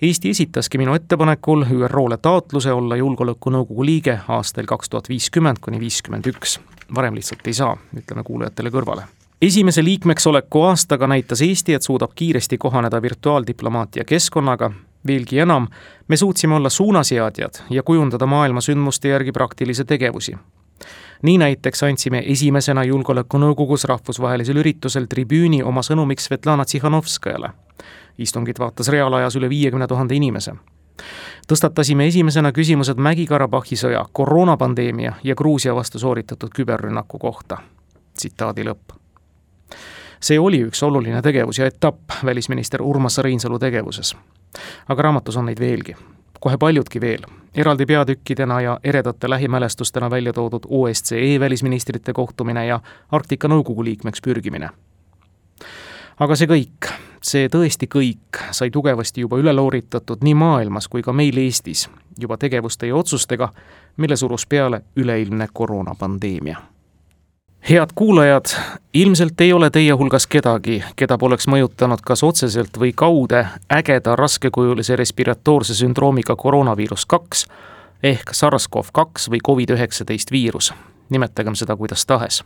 Eesti esitaski minu ettepanekul ÜRO-le taotluse olla Julgeolekunõukogu liige aastail 2050–51. Varem lihtsalt ei saa, ütleme kuulajatele kõrvale. Esimese liikmeks oleku aastaga näitas Eesti, et suudab kiiresti kohaneda virtuaaldiplomaatia keskkonnaga. Veelgi enam, me suutsime olla suunaseadjad ja kujundada maailma sündmuste järgi praktilise tegevusi. Nii näiteks andsime esimesena Julgeolekunõukogus rahvusvahelisel üritusel tribüüni oma sõnumiks Svetlana Tsihhanovskajale. Istungit vaatas reaalajas üle 50 000 inimese. Tõstatasime esimesena küsimused Mägi-Karabahhi sõja, koroonapandeemia ja Gruusia vastu sooritatud küberrünnaku kohta. Tsitaadi lõpp. See oli üks oluline tegevus ja etapp välisminister Urmas Reinsalu tegevuses. Aga raamatus on neid veelgi. Kohe paljudki veel. Eraldi peatükkidena ja eredate lähimälestustena välja toodud OSCE välisministrite kohtumine ja Arktika Nõukogu liikmeks pürgimine. Aga see tõesti kõik sai tugevasti juba üle looritatud nii maailmas kui ka meil Eestis juba tegevuste ja otsustega, mille surus peale üleilmne koroonapandeemia. Head kuulajad, ilmselt ei ole teie hulgas kedagi, keda poleks mõjutanud kas otseselt või kaude ägeda raskekujulise respiratoorse sündroomiga koroonaviirus 2 ehk SARS-CoV-2 või COVID-19 viirus. Nimetagem seda kuidas tahes.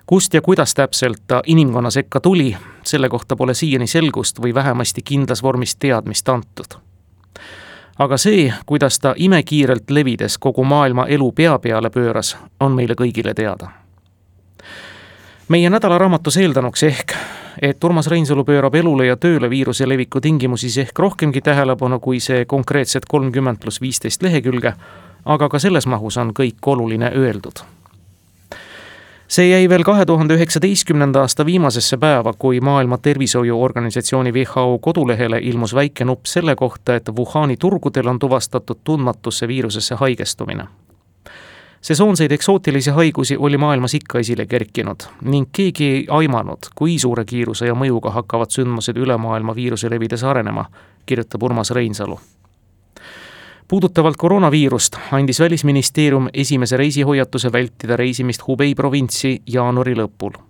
Kust ja kuidas täpselt ta inimkonna sekka tuli, selle kohta pole siiani selgust või vähemasti kindlas vormis teadmist antud. Aga see, kuidas ta imekiirelt levides kogu maailma elu pea peale pööras, on meile kõigile teada. Meie nädalaraamatus eeldanuks ehk, et Urmas Reinsalu pöörab elule ja tööle viiruse leviku tingimusi ehk rohkemgi tähelepanu kui see konkreetset 30+15 lehekülge, aga ka selles mahus on kõik oluline öeldud. See jäi veel 2019. aasta viimasesse päeva, kui Maailma Tervishoiuorganisatsiooni WHO kodulehele ilmus väike nupp selle kohta, et Wuhani turgudel on tuvastatud tundmatusse viirusesse haigestumine. Sesoonseid eksootilisi haigusi oli maailmas ikka esile kerkinud ning keegi ei aimanud, kui suure kiiruse ja mõjuga hakkavad sündmused üle maailma viiruse levides arenema, kirjutab Urmas Reinsalu. Puudutavalt koroonaviirust andis Välisministeerium esimese reisihoiatuse vältida reisimist Hubei provintsi jaanuari lõpul.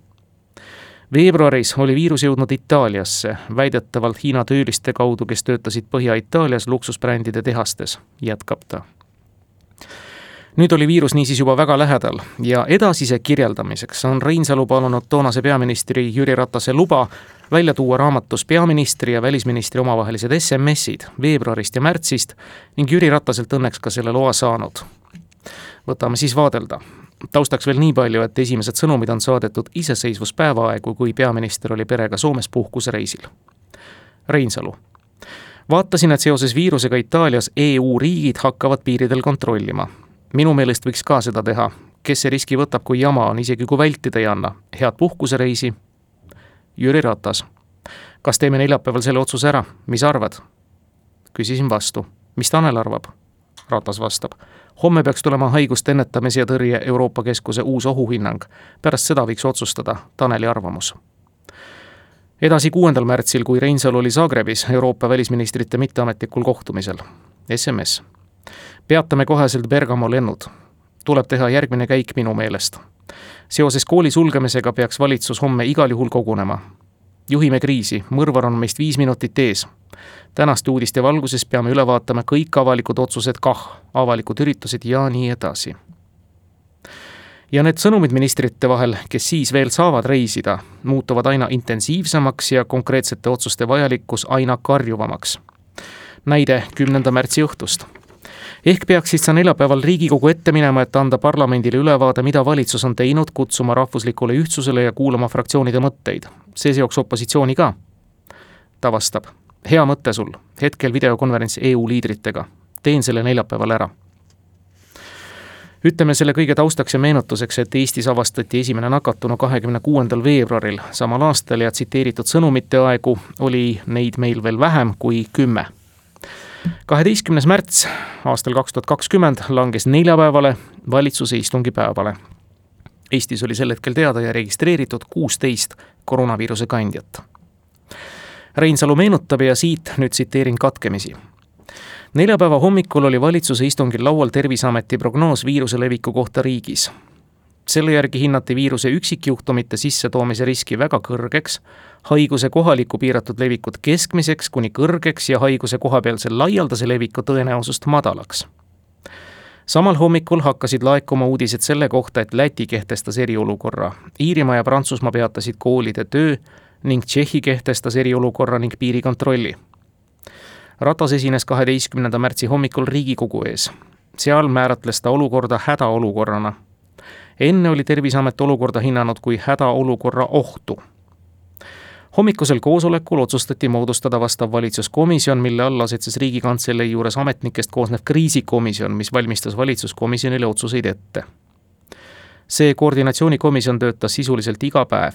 Veebruaris oli viirus jõudnud Itaaliasse, väidetavalt Hiina tööliste kaudu, kes töötasid Põhja-Itaalias luksusbrändide tehastes, jätkab ta. Nüüd oli viirus niisiis juba väga lähedal ja edasise kirjeldamiseks on Reinsalu palunud toonase peaministri Jüri Ratase luba välja tuua raamatus peaministri ja välisministri omavahelised SMS-id veebruarist ja märtsist ning Jüri Rataselt õnneks ka selle loa saanud. Võtame siis vaadelda. Taustaks veel nii palju, et esimesed sõnumid on saadetud iseseisvuspäevaaegu, kui peaminister oli perega Soomes puhkusereisil. Reinsalu. Vaatasin, et seoses viirusega Itaalias EU riigid hakkavad piiridel kontrollima. Minu meelest võiks ka seda teha. Kes see riski võtab, kui jama on, isegi kui vältida ei anna? Head puhkusereisi. Jüri Ratas. Kas teeme neljapäeval selle otsuse ära? Mis arvad? Küsisin vastu. Mis Tanel arvab? Ratas vastab. Homme peaks tulema haiguste ennetamise ja tõrje Euroopa Keskuse uus ohuhinnang. Pärast seda võiks otsustada Taneli arvamus. Edasi 6. märtsil, kui Reinsalu oli Zagrebis Euroopa välisministrite mitteametlikul kohtumisel. SMS. Peatame koheselt Bergamo lennud. Tuleb teha järgmine käik minu meelest. Seoses kooli sulgemisega peaks valitsus homme igal juhul kogunema. Juhime kriisi, mõrvar on meist 5 minutit ees. Tänaste uudiste valguses peame üle vaatama kõik avalikud otsused avalikud üritused ja nii edasi. Ja need sõnumid ministrite vahel, kes siis veel saavad reisida, muutuvad aina intensiivsemaks ja konkreetsete otsuste vajalikkus aina karjuvamaks. Näide 10. märtsi õhtust. Ehk peaksid sa neljapäeval Riigikogu ette minema, et anda parlamendile ülevaade, mida valitsus on teinud, kutsuma rahvuslikule ühtsusele ja kuulama fraktsioonide mõtteid. See seoks opositsiooni ka. Ta vastab, hea mõte sul, hetkel videokonverents EU liidritega. Teen selle neljapäeval ära. Ütleme selle kõige taustaks ja meenutuseks, et Eestis avastati esimene nakatunu 26. veebruaril samal aastal ja tsiteeritud sõnumite aegu oli neid meil veel vähem kui 10. 12. märts aastal 2020 langes neljapäevale valitsuse istungi päevale. Eestis oli sel hetkel teada ja registreeritud 16 koroonaviiruse kandjat. Reinsalu meenutab ja siit nüüd tsiteerin katkemisi. Neljapäeva hommikul oli valitsuse istungil laual Terviseameti prognoos viiruse leviku kohta riigis. Selle järgi hinnati viiruse üksikjuhtumite sissetoomise riski väga kõrgeks, haiguse kohaliku piiratud levikut keskmiseks kuni kõrgeks ja haiguse kohapealse laialdase leviku tõenäosust madalaks. Samal hommikul hakkasid laekuma uudised selle kohta, et Läti kehtestas eriolukorra. Iirimaa ja Prantsusmaa peatasid koolide töö ning Tšehhi kehtestas eriolukorra ning piirikontrolli. Ratas esines 12. märtsi hommikul Riigikogu ees. Seal määratles ta olukorda hädaolukorrana. Enne oli Terviseamet olukorda hinnanud kui hädaolukorra ohtu. Hommikusel koosolekul otsustati moodustada vastav valitsuskomisjon, mille all asetses Riigikantselei juures ametnikest koosnev kriisikomisjon, mis valmistas valitsuskomisjonile otsuseid ette. See koordinatsioonikomisjon töötas sisuliselt iga päev.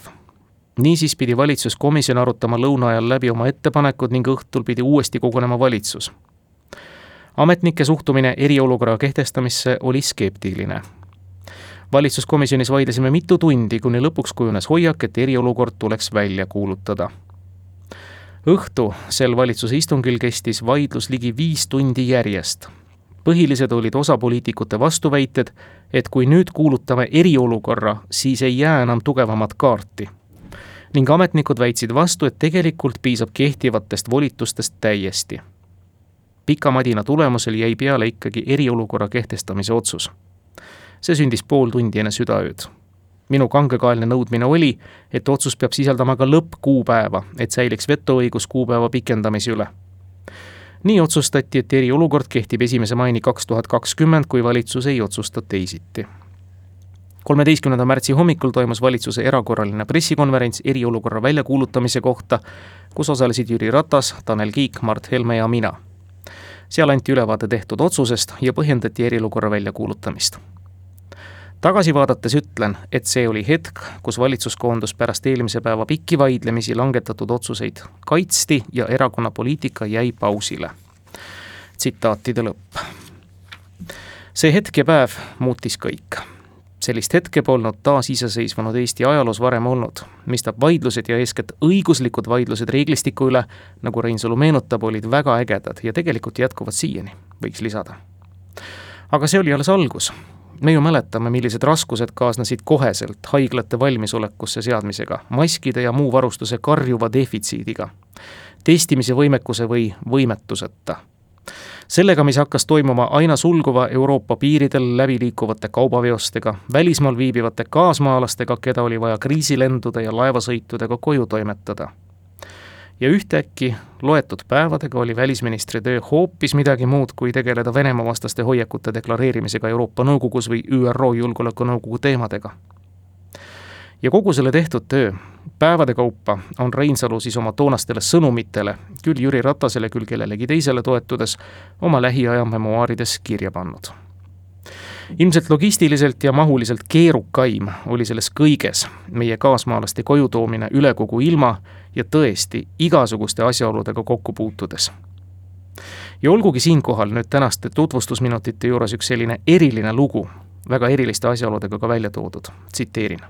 Niisiis pidi valitsuskomisjon arutama lõuna ajal läbi oma ettepanekud ning õhtul pidi uuesti kogunema valitsus. Ametnike suhtumine eriolukorra kehtestamisse oli skeptiline. Valitsuskomisjonis vaidlesime mitu tundi, kuni lõpuks kujunes hoiak, et eriolukord tuleks välja kuulutada. Õhtu sel valitsuse istungil kestis vaidlus ligi 5 tundi järjest. Põhilised olid osapoliitikute vastuväited, et kui nüüd kuulutame eriolukorra, siis ei jää enam tugevamat kaarti. Ning ametnikud väitsid vastu, et tegelikult piisab kehtivatest volitustest täiesti. Pika madina tulemusel jäi peale ikkagi eriolukorra kehtestamise otsus. See sündis pool tundi enne südaööd. Minu kangekaelne nõudmine oli, et otsus peab sisaldama ka lõppkuupäeva, et säiliks vetoõigus kuupäeva pikendamise üle. Nii otsustati, et eriolukord kehtib 1. maini 2020, kui valitsus ei otsusta teisiti. 13. märtsi hommikul toimus valitsuse erakorraline pressikonverents eriolukorra väljakuulutamise kohta, kus osalesid Jüri Ratas, Tanel Kiik, Mart Helme ja mina. Seal anti ülevaade tehtud otsusest ja põhjendati eriolukorra väljakuulutamist. Tagasi vaadates ütlen, et see oli hetk, kus valitsus koondus pärast eelmise päeva pikki vaidlemisi langetatud otsuseid kaitsti ja erakonna poliitika jäi pausile. Tsitaatide lõpp. See hetk ja päev muutis kõik. Sellist hetke polnud taas iseseisvunud Eesti ajaloos varem olnud, mistap vaidlused ja eeskätt õiguslikud vaidlused reeglistiku üle, nagu Reinsalu meenutab, olid väga ägedad ja tegelikult jätkuvad siiani, võiks lisada. Aga see oli alles algus. Me ju mäletame, millised raskused kaasnesid koheselt haiglate valmisolekusse seadmisega, maskide ja muu varustuse karjuva defitsiidiga, testimise võimekuse või võimetuseta. Sellega, mis hakkas toimuma aina sulguva Euroopa piiridel läbi liikuvate kaubaveostega, välismaal viibivate kaasmaalastega, keda oli vaja kriisilendude ja laevasõitudega koju toimetada. Ja ühtäkki loetud päevadega oli välisministri töö hoopis midagi muud, kui tegeleda Venemaa vastaste hoiakute deklareerimisega Euroopa Nõukogus või ÜRO Julgeolekunõukogu teemadega. Ja kogu selle tehtud töö päevade kaupa on Reinsalu siis oma toonastele sõnumitele, küll Jüri Ratasele, küll kellelegi teisele toetudes, oma lähiaja memuaarides kirja pannud. Ilmselt logistiliselt ja mahuliselt keerukaim oli selles kõiges meie kaasmaalaste koju toomine üle kogu ilma ja tõesti igasuguste asjaoludega kokku puutudes. Ja olgugi siinkohal nüüd tänaste tutvustusminutite juures üks selline eriline lugu, väga eriliste asjaoludega ka välja toodud, tsiteerin.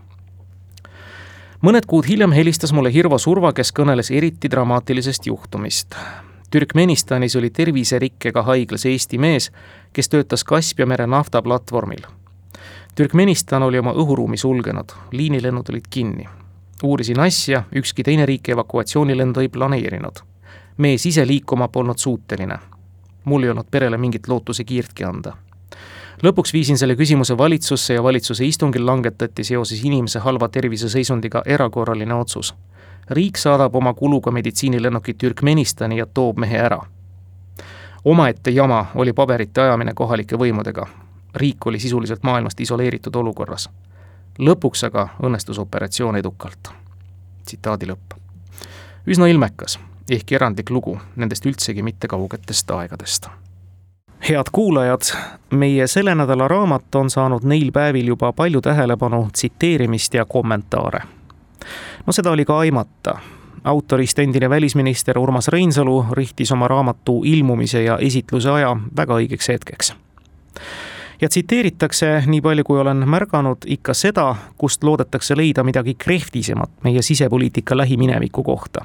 Mõned kuud hiljem helistas mulle Hirvo Surva, kes kõneles eriti dramaatilisest juhtumist. Türkmenistanis oli terviserikkega haiglas Eesti mees, kes töötas Kaspia mere naftaplatvormil. Türkmenistan oli oma õhuruumi sulgenud, liinilennud olid kinni. Uurisin asja, ükski teine riik evakuatsioonilendu ei planeerinud. Mees ise liikuma polnud suuteline. Mul ei olnud perele mingit lootuse kiirtki anda. Lõpuks viisin selle küsimuse valitsusse ja valitsuse istungil langetati seoses inimese halva terviseseisundiga erakorraline otsus. Riik saadab oma kuluga meditsiinilennukit Türkmenistani ja toob mehe ära. Omaette jama oli paberite ajamine kohalike võimudega. Riik oli sisuliselt maailmast isoleeritud olukorras. Lõpuks aga õnnestus operatsioon edukalt. Tsitaadi lõpp. Üsna ilmekas, ehkki erandlik lugu nendest üldsegi mitte kaugetest aegadest. Head kuulajad, meie selle nädala raamat on saanud neil päevil juba palju tähelepanu, tsiteerimist ja kommentaare. No seda oli ka aimata. Autorist endine välisminister Urmas Reinsalu rihtis oma raamatu ilmumise ja esitluse aja väga õigeks hetkeks. Ja tsiteeritakse, nii palju kui olen märganud, ikka seda, kust loodetakse leida midagi krehvtisemat meie sisepoliitika lähimineviku kohta.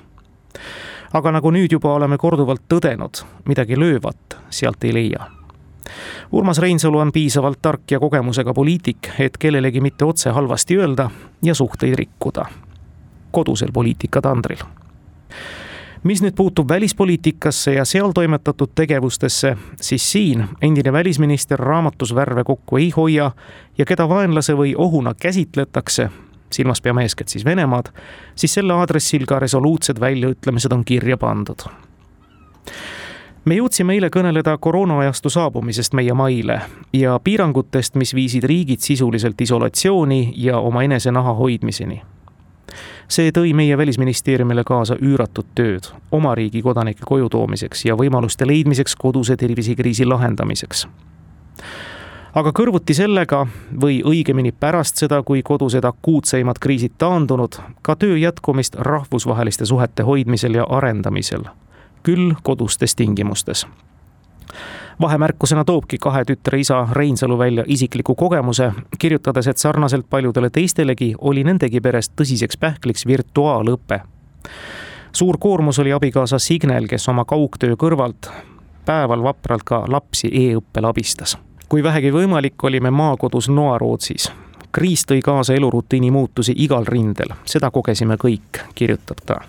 Aga nagu nüüd juba oleme korduvalt tõdenud, midagi löövat sealt ei leia. Urmas Reinsalu on piisavalt tark ja kogemusega poliitik, et kellelegi mitte otse halvasti öelda ja suhteid rikkuda. Kodusel poliitikatandril. Mis nüüd puutub välispoliitikasse ja seal toimetatud tegevustesse, siis siin endine välisminister raamatus värve kokku ei hoia ja keda vaenlase või ohuna käsitletakse, silmas peame eeskätt siis Venemaad, siis selle aadressil ka resoluutsed väljaütlemised on kirja pandud. Me jõudsime eile kõneleda koroonaajastu saabumisest meie maile ja piirangutest, mis viisid riigid sisuliselt isolatsiooni ja oma enese naha hoidmiseni. See tõi meie välisministeeriumile kaasa üüratud tööd oma riigi kodanike koju toomiseks ja võimaluste leidmiseks koduse tervisekriisi lahendamiseks. Aga kõrvuti sellega või õigemini pärast seda, kui kodused akuutseimad kriisid taandunud, ka töö jätkumist rahvusvaheliste suhete hoidmisel ja arendamisel, küll kodustes tingimustes. Vahemärkusena toobki 2 tütre isa Reinsalu välja isikliku kogemuse, kirjutades, et sarnaselt paljudele teistelegi oli nendegi perest tõsiseks pähkliks virtuaalõpe. Suur koormus oli abikaasa Signel, kes oma kaugtöö kõrvalt päeval vapralt ka lapsi e-õppel abistas. Kui vähegi võimalik, olime maakodus Noarootsis. Kriis tõi kaasa elurutiini muutusi igal rindel, seda kogesime kõik, kirjutab ta.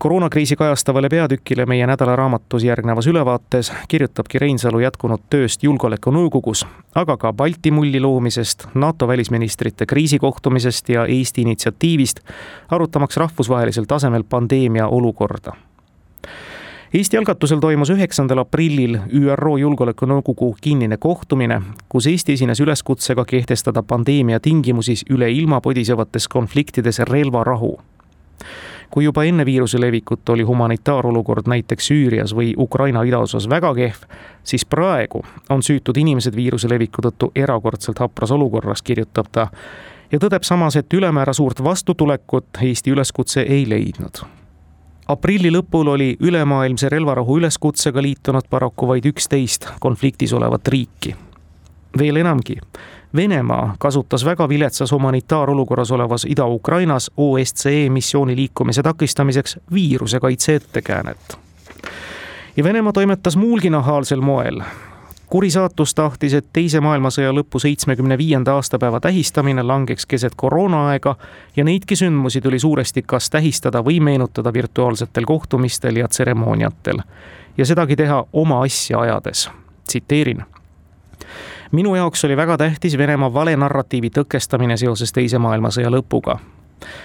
Koroonakriisi kajastavale peatükile meie nädala raamatus järgnevas ülevaates kirjutabki Reinsalu jätkunud tööst julgeolekunõukogus, aga ka Balti mulli loomisest, NATO välisministrite kriisikohtumisest ja Eesti initsiatiivist, arutamaks rahvusvahelisel tasemel pandeemia olukorda. Eesti algatusel toimus 9. aprillil ÜRO Julgeolekunõukogu kinnine kohtumine, kus Eesti esines üleskutsega kehtestada pandeemia tingimusis üle ilma podisevates konfliktides relvarahu. Kui juba enne viiruse levikut oli humanitaarolukord näiteks Süürias või Ukraina idaosas väga kehv, siis praegu on süütud inimesed viiruse leviku tõttu erakordselt hapras olukorras, kirjutab ta, ja tõdeb samas, et ülemäära suurt vastutulekut Eesti üleskutse ei leidnud. Aprilli lõpul oli ülemaailmse relvarahu üleskutsega liitunud paraku vaid 11 konfliktis olevat riiki. Veel enamgi, Venemaa kasutas väga viletsas humanitaarolukorras olevas Ida-Ukrainas OSCE missiooni liikumise takistamiseks viiruse kaitse ettekäänet. Ja Venemaa toimetas muulgi nahaalsel moel. Kuri saatus tahtis, et teise maailmasõja lõppu 75. aastapäeva tähistamine langeks keset koroonaaega ja neidki sündmusi tuli suuresti kas tähistada või meenutada virtuaalsetel kohtumistel ja tseremooniatel. Ja sedagi teha oma asja ajades. Tsiteerin. Minu jaoks oli väga tähtis Venemaa vale narratiivi tõkestamine seoses teise maailmasõja lõpuga.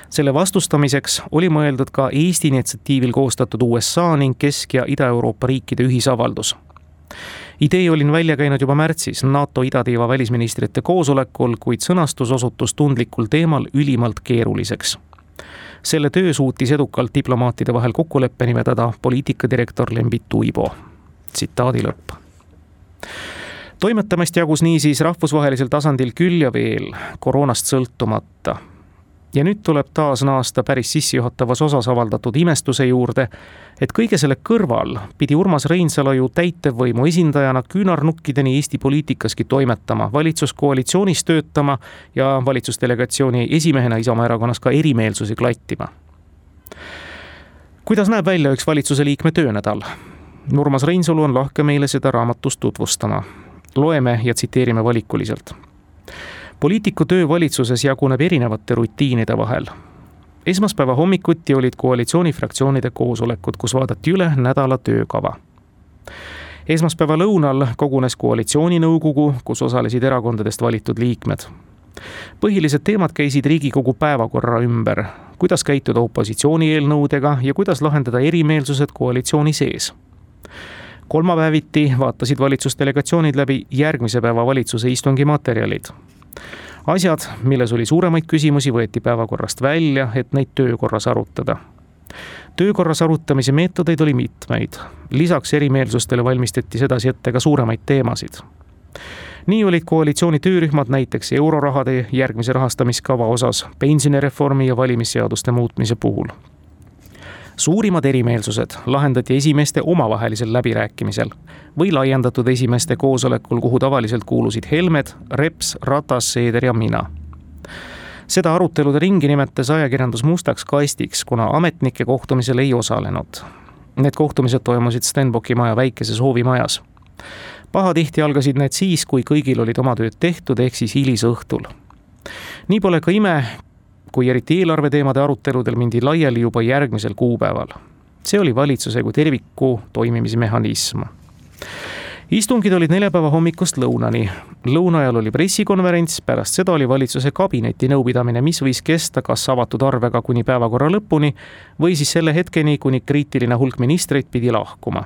Selle vastustamiseks oli mõeldud ka Eesti initsiatiivil koostatud USA ning Kesk- ja Ida-Euroopa riikide ühisavaldus. Idee olin välja käinud juba märtsis NATO idatiiva välisministrite koosolekul, kuid sõnastus osutus tundlikul teemal ülimalt keeruliseks. Selle töö suutis edukalt diplomaatide vahel kokkuleppeni vedada poliitikadirektor Lembit Uibo. Tsitaadi lõpp. Toimetamist jagus niisiis rahvusvahelisel tasandil küll ja veel, koroonast sõltumata. Ja nüüd tuleb taas naasta päris sissejuhatavas osas avaldatud imestuse juurde, et kõige selle kõrval pidi Urmas Reinsalu ju täitevvõimu esindajana küünarnukkideni Eesti poliitikaski toimetama, valitsuskoalitsioonis töötama ja valitsusdelegatsiooni esimehena Isamaa erakonnas ka erimeelsusi klattima. Kuidas näeb välja üks valitsuse liikme töönädal? Urmas Reinsalu on lahke meile seda raamatust tutvustama. Loeme ja tsiteerime valikuliselt. Poliitiku töö valitsuses jaguneb erinevate rutiinide vahel. Esmaspäeva hommikuti olid koalitsioonifraktsioonide koosolekud, kus vaadati üle nädala töökava. Esmaspäeva lõunal kogunes koalitsiooninõukogu, kus osalesid erakondadest valitud liikmed. Põhilised teemad käisid Riigikogu päevakorra ümber, kuidas käituda opositsiooni eelnõudega ja kuidas lahendada erimeelsused koalitsiooni sees. Kolmapäeviti vaatasid valitsusdelegatsioonid läbi järgmise päeva valitsuse istungi materjalid. Asjad, milles oli suuremaid küsimusi, võeti päevakorrast välja, et neid töökorras arutada. Töökorras arutamise meetodeid oli mitmeid. Lisaks erimeelsustele valmistati sedasi ette ka suuremaid teemasid. Nii olid koalitsiooni töörühmad näiteks eurorahade järgmise rahastamiskava osas, pensionireformi ja valimisseaduste muutmise puhul. Suurimad erimeelsused lahendati esimeeste omavahelisel läbirääkimisel või laiendatud esimeeste koosolekul, kuhu tavaliselt kuulusid Helmed, Reps, Ratas, Seeder ja mina. Seda arutelude ringi nimetas ajakirjandus mustaks kastiks, kuna ametnike kohtumisel ei osalenud. Need kohtumised toimusid Stenbocki maja väikeses hoovimajas. Pahatihti algasid need siis, kui kõigil olid oma tööd tehtud, ehk siis hilisõhtul. Nii pole ka ime, kui eriti eelarveteemade aruteludel mindi laiali juba järgmisel kuupäeval. See oli valitsuse kui terviku toimimismehhanism. Istungid olid neljapäeva hommikust lõunani. Lõuna ajal oli pressikonverents, pärast seda oli valitsuse kabineti nõupidamine, mis võis kesta kas avatud arvega kuni päevakorra lõpuni või siis selle hetkeni, kuni kriitiline hulk ministreid pidi lahkuma.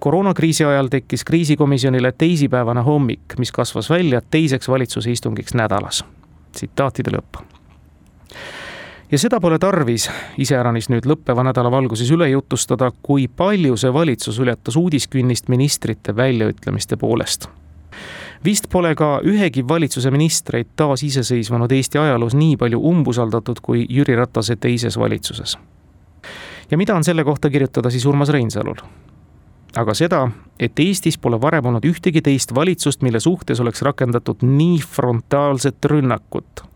Koroonakriisi ajal tekkis kriisikomisjonile teisipäevane hommik, mis kasvas välja teiseks valitsuse istungiks nädalas. Tsitaatide lõpp. Ja seda pole tarvis iseäranis nüüd lõppeva nädala valguses üle jutustada, kui palju see valitsus ületas uudiskünnist ministrite väljaütlemiste poolest. Vist pole ka ühegi valitsuse ministreid taas iseseisvanud Eesti ajaloos nii palju umbusaldatud kui Jüri Ratase teises valitsuses. Ja mida on selle kohta kirjutada siis Urmas Reinsalul? Aga seda, et Eestis pole varem olnud ühtegi teist valitsust, mille suhtes oleks rakendatud nii frontaalset rünnakut.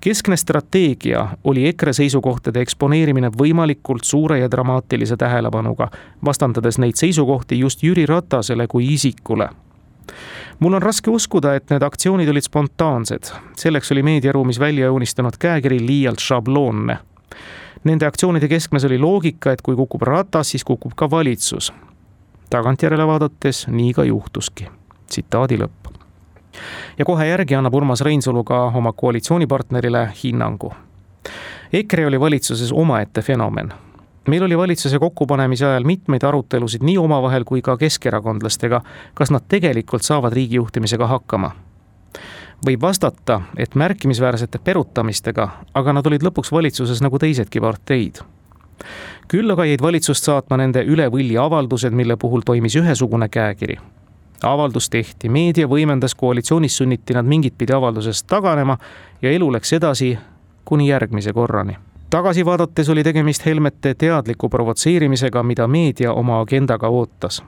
Keskne strateegia oli EKRE seisukohtade eksponeerimine võimalikult suure ja dramaatilise tähelepanuga, vastandades neid seisukohti just Jüri Ratasele kui isikule. Mul on raske uskuda, et need aktsioonid olid spontaansed. Selleks oli meediaruumis välja joonistanud käekiri liialt šabloonne. Nende aktsioonide keskmes oli loogika, et kui kukub Ratas, siis kukub ka valitsus. Tagantjärele vaadates nii ka juhtuski. Tsitaadi lõpp. Ja kohe järgi annab Urmas Reinsalu ka oma koalitsioonipartnerile hinnangu. EKRE oli valitsuses omaette fenomen. Meil oli valitsuse kokkupanemise ajal mitmeid arutelusid nii omavahel kui ka keskerakondlastega, kas nad tegelikult saavad riigijuhtimisega hakkama. Võib vastata, et märkimisväärsete perutamistega, aga nad olid lõpuks valitsuses nagu teisedki parteid. Küll aga jäid valitsust saatma nende üle võlli avaldused, mille puhul toimis ühesugune käekiri. Avaldus tehti, meedia võimendas, koalitsioonis sunniti nad mingit pidi avaldusest taganema ja elu läks edasi kuni järgmise korrani. Tagasi vaadates oli tegemist Helmete teadliku provotseerimisega, mida meedia oma agendaga ootas.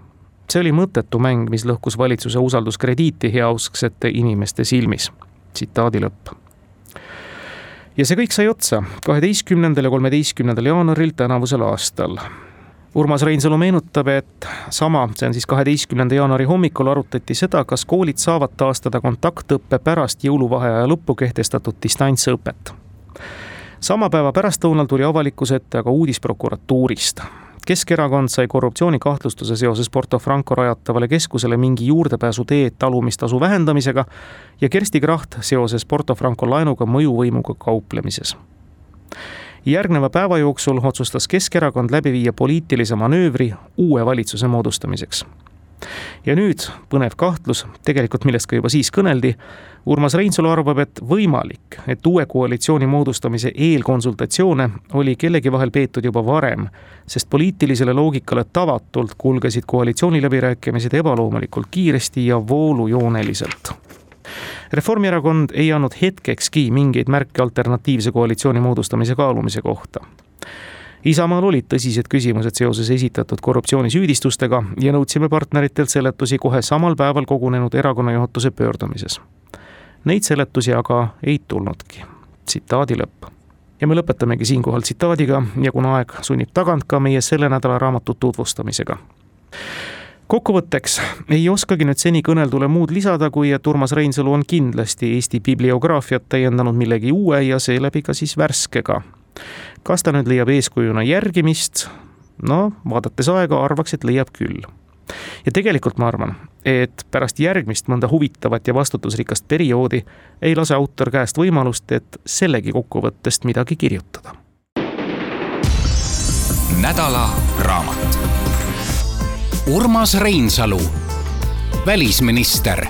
See oli mõttetu mäng, mis lõhkus valitsuse usalduskrediiti heausksete inimeste silmis. Tsitaadi lõpp. Ja see kõik sai otsa 12. ja 13. jaanuaril tänavusel aastal. Urmas Reinsalu meenutab, et see on siis 12. jaanuari hommikul arutati seda, kas koolid saavad taastada kontaktõppe pärast jõuluvaheaja lõppu kehtestatud distantsõpet. Sama päeva pärastlõunal tuli avalikkuse ette aga uudis prokuratuurist. Keskerakond sai korruptsioonikahtlustuse seoses Porto Franco rajatavale keskusele mingi juurdepääsu tee talumistasu vähendamisega ja Kersti Kracht seoses Porto Franco laenuga mõjuvõimuga kauplemises. Järgneva päeva jooksul otsustas Keskerakond läbi viia poliitilise manöövri uue valitsuse moodustamiseks. Ja nüüd põnev kahtlus, tegelikult millest ka juba siis kõneldi, Urmas Reinsalu arvab, et võimalik, et uue koalitsiooni moodustamise eelkonsultatsioone oli kellegi vahel peetud juba varem, sest poliitilisele loogikale tavatult kulgesid koalitsiooni läbirääkimised ebaloomulikult kiiresti ja voolujooneliselt. Reformierakond ei andnud hetkekski mingeid märke alternatiivse koalitsiooni moodustamise kaalumise kohta. Isamaal olid tõsised küsimused seoses esitatud korruptsioonisüüdistustega ja nõudsime partneritelt seletusi kohe samal päeval kogunenud erakonnajuhatuse pöördumises. Neid seletusi aga ei tulnudki. Tsitaadi lõpp. Ja me lõpetamegi siinkohal tsitaadiga ja kuna aeg sunnib tagant ka meie selle nädala raamatut tutvustamisega. Kokkuvõtteks ei oskagi nüüd seni kõneldule muud lisada, kui et Urmas Reinsalu on kindlasti Eesti bibliograafiat täiendanud millegi uue ja seeläbi ka siis värskega. Kas ta nüüd leiab eeskujuna järgimist? No, vaadates aega arvaks, et leiab küll. Ja tegelikult ma arvan, et pärast järgmist mõnda huvitavat ja vastutusrikast perioodi ei lase autor käest võimalust, et sellegi kokkuvõttest midagi kirjutada. Nädala raamat. Urmas Reinsalu, välisminister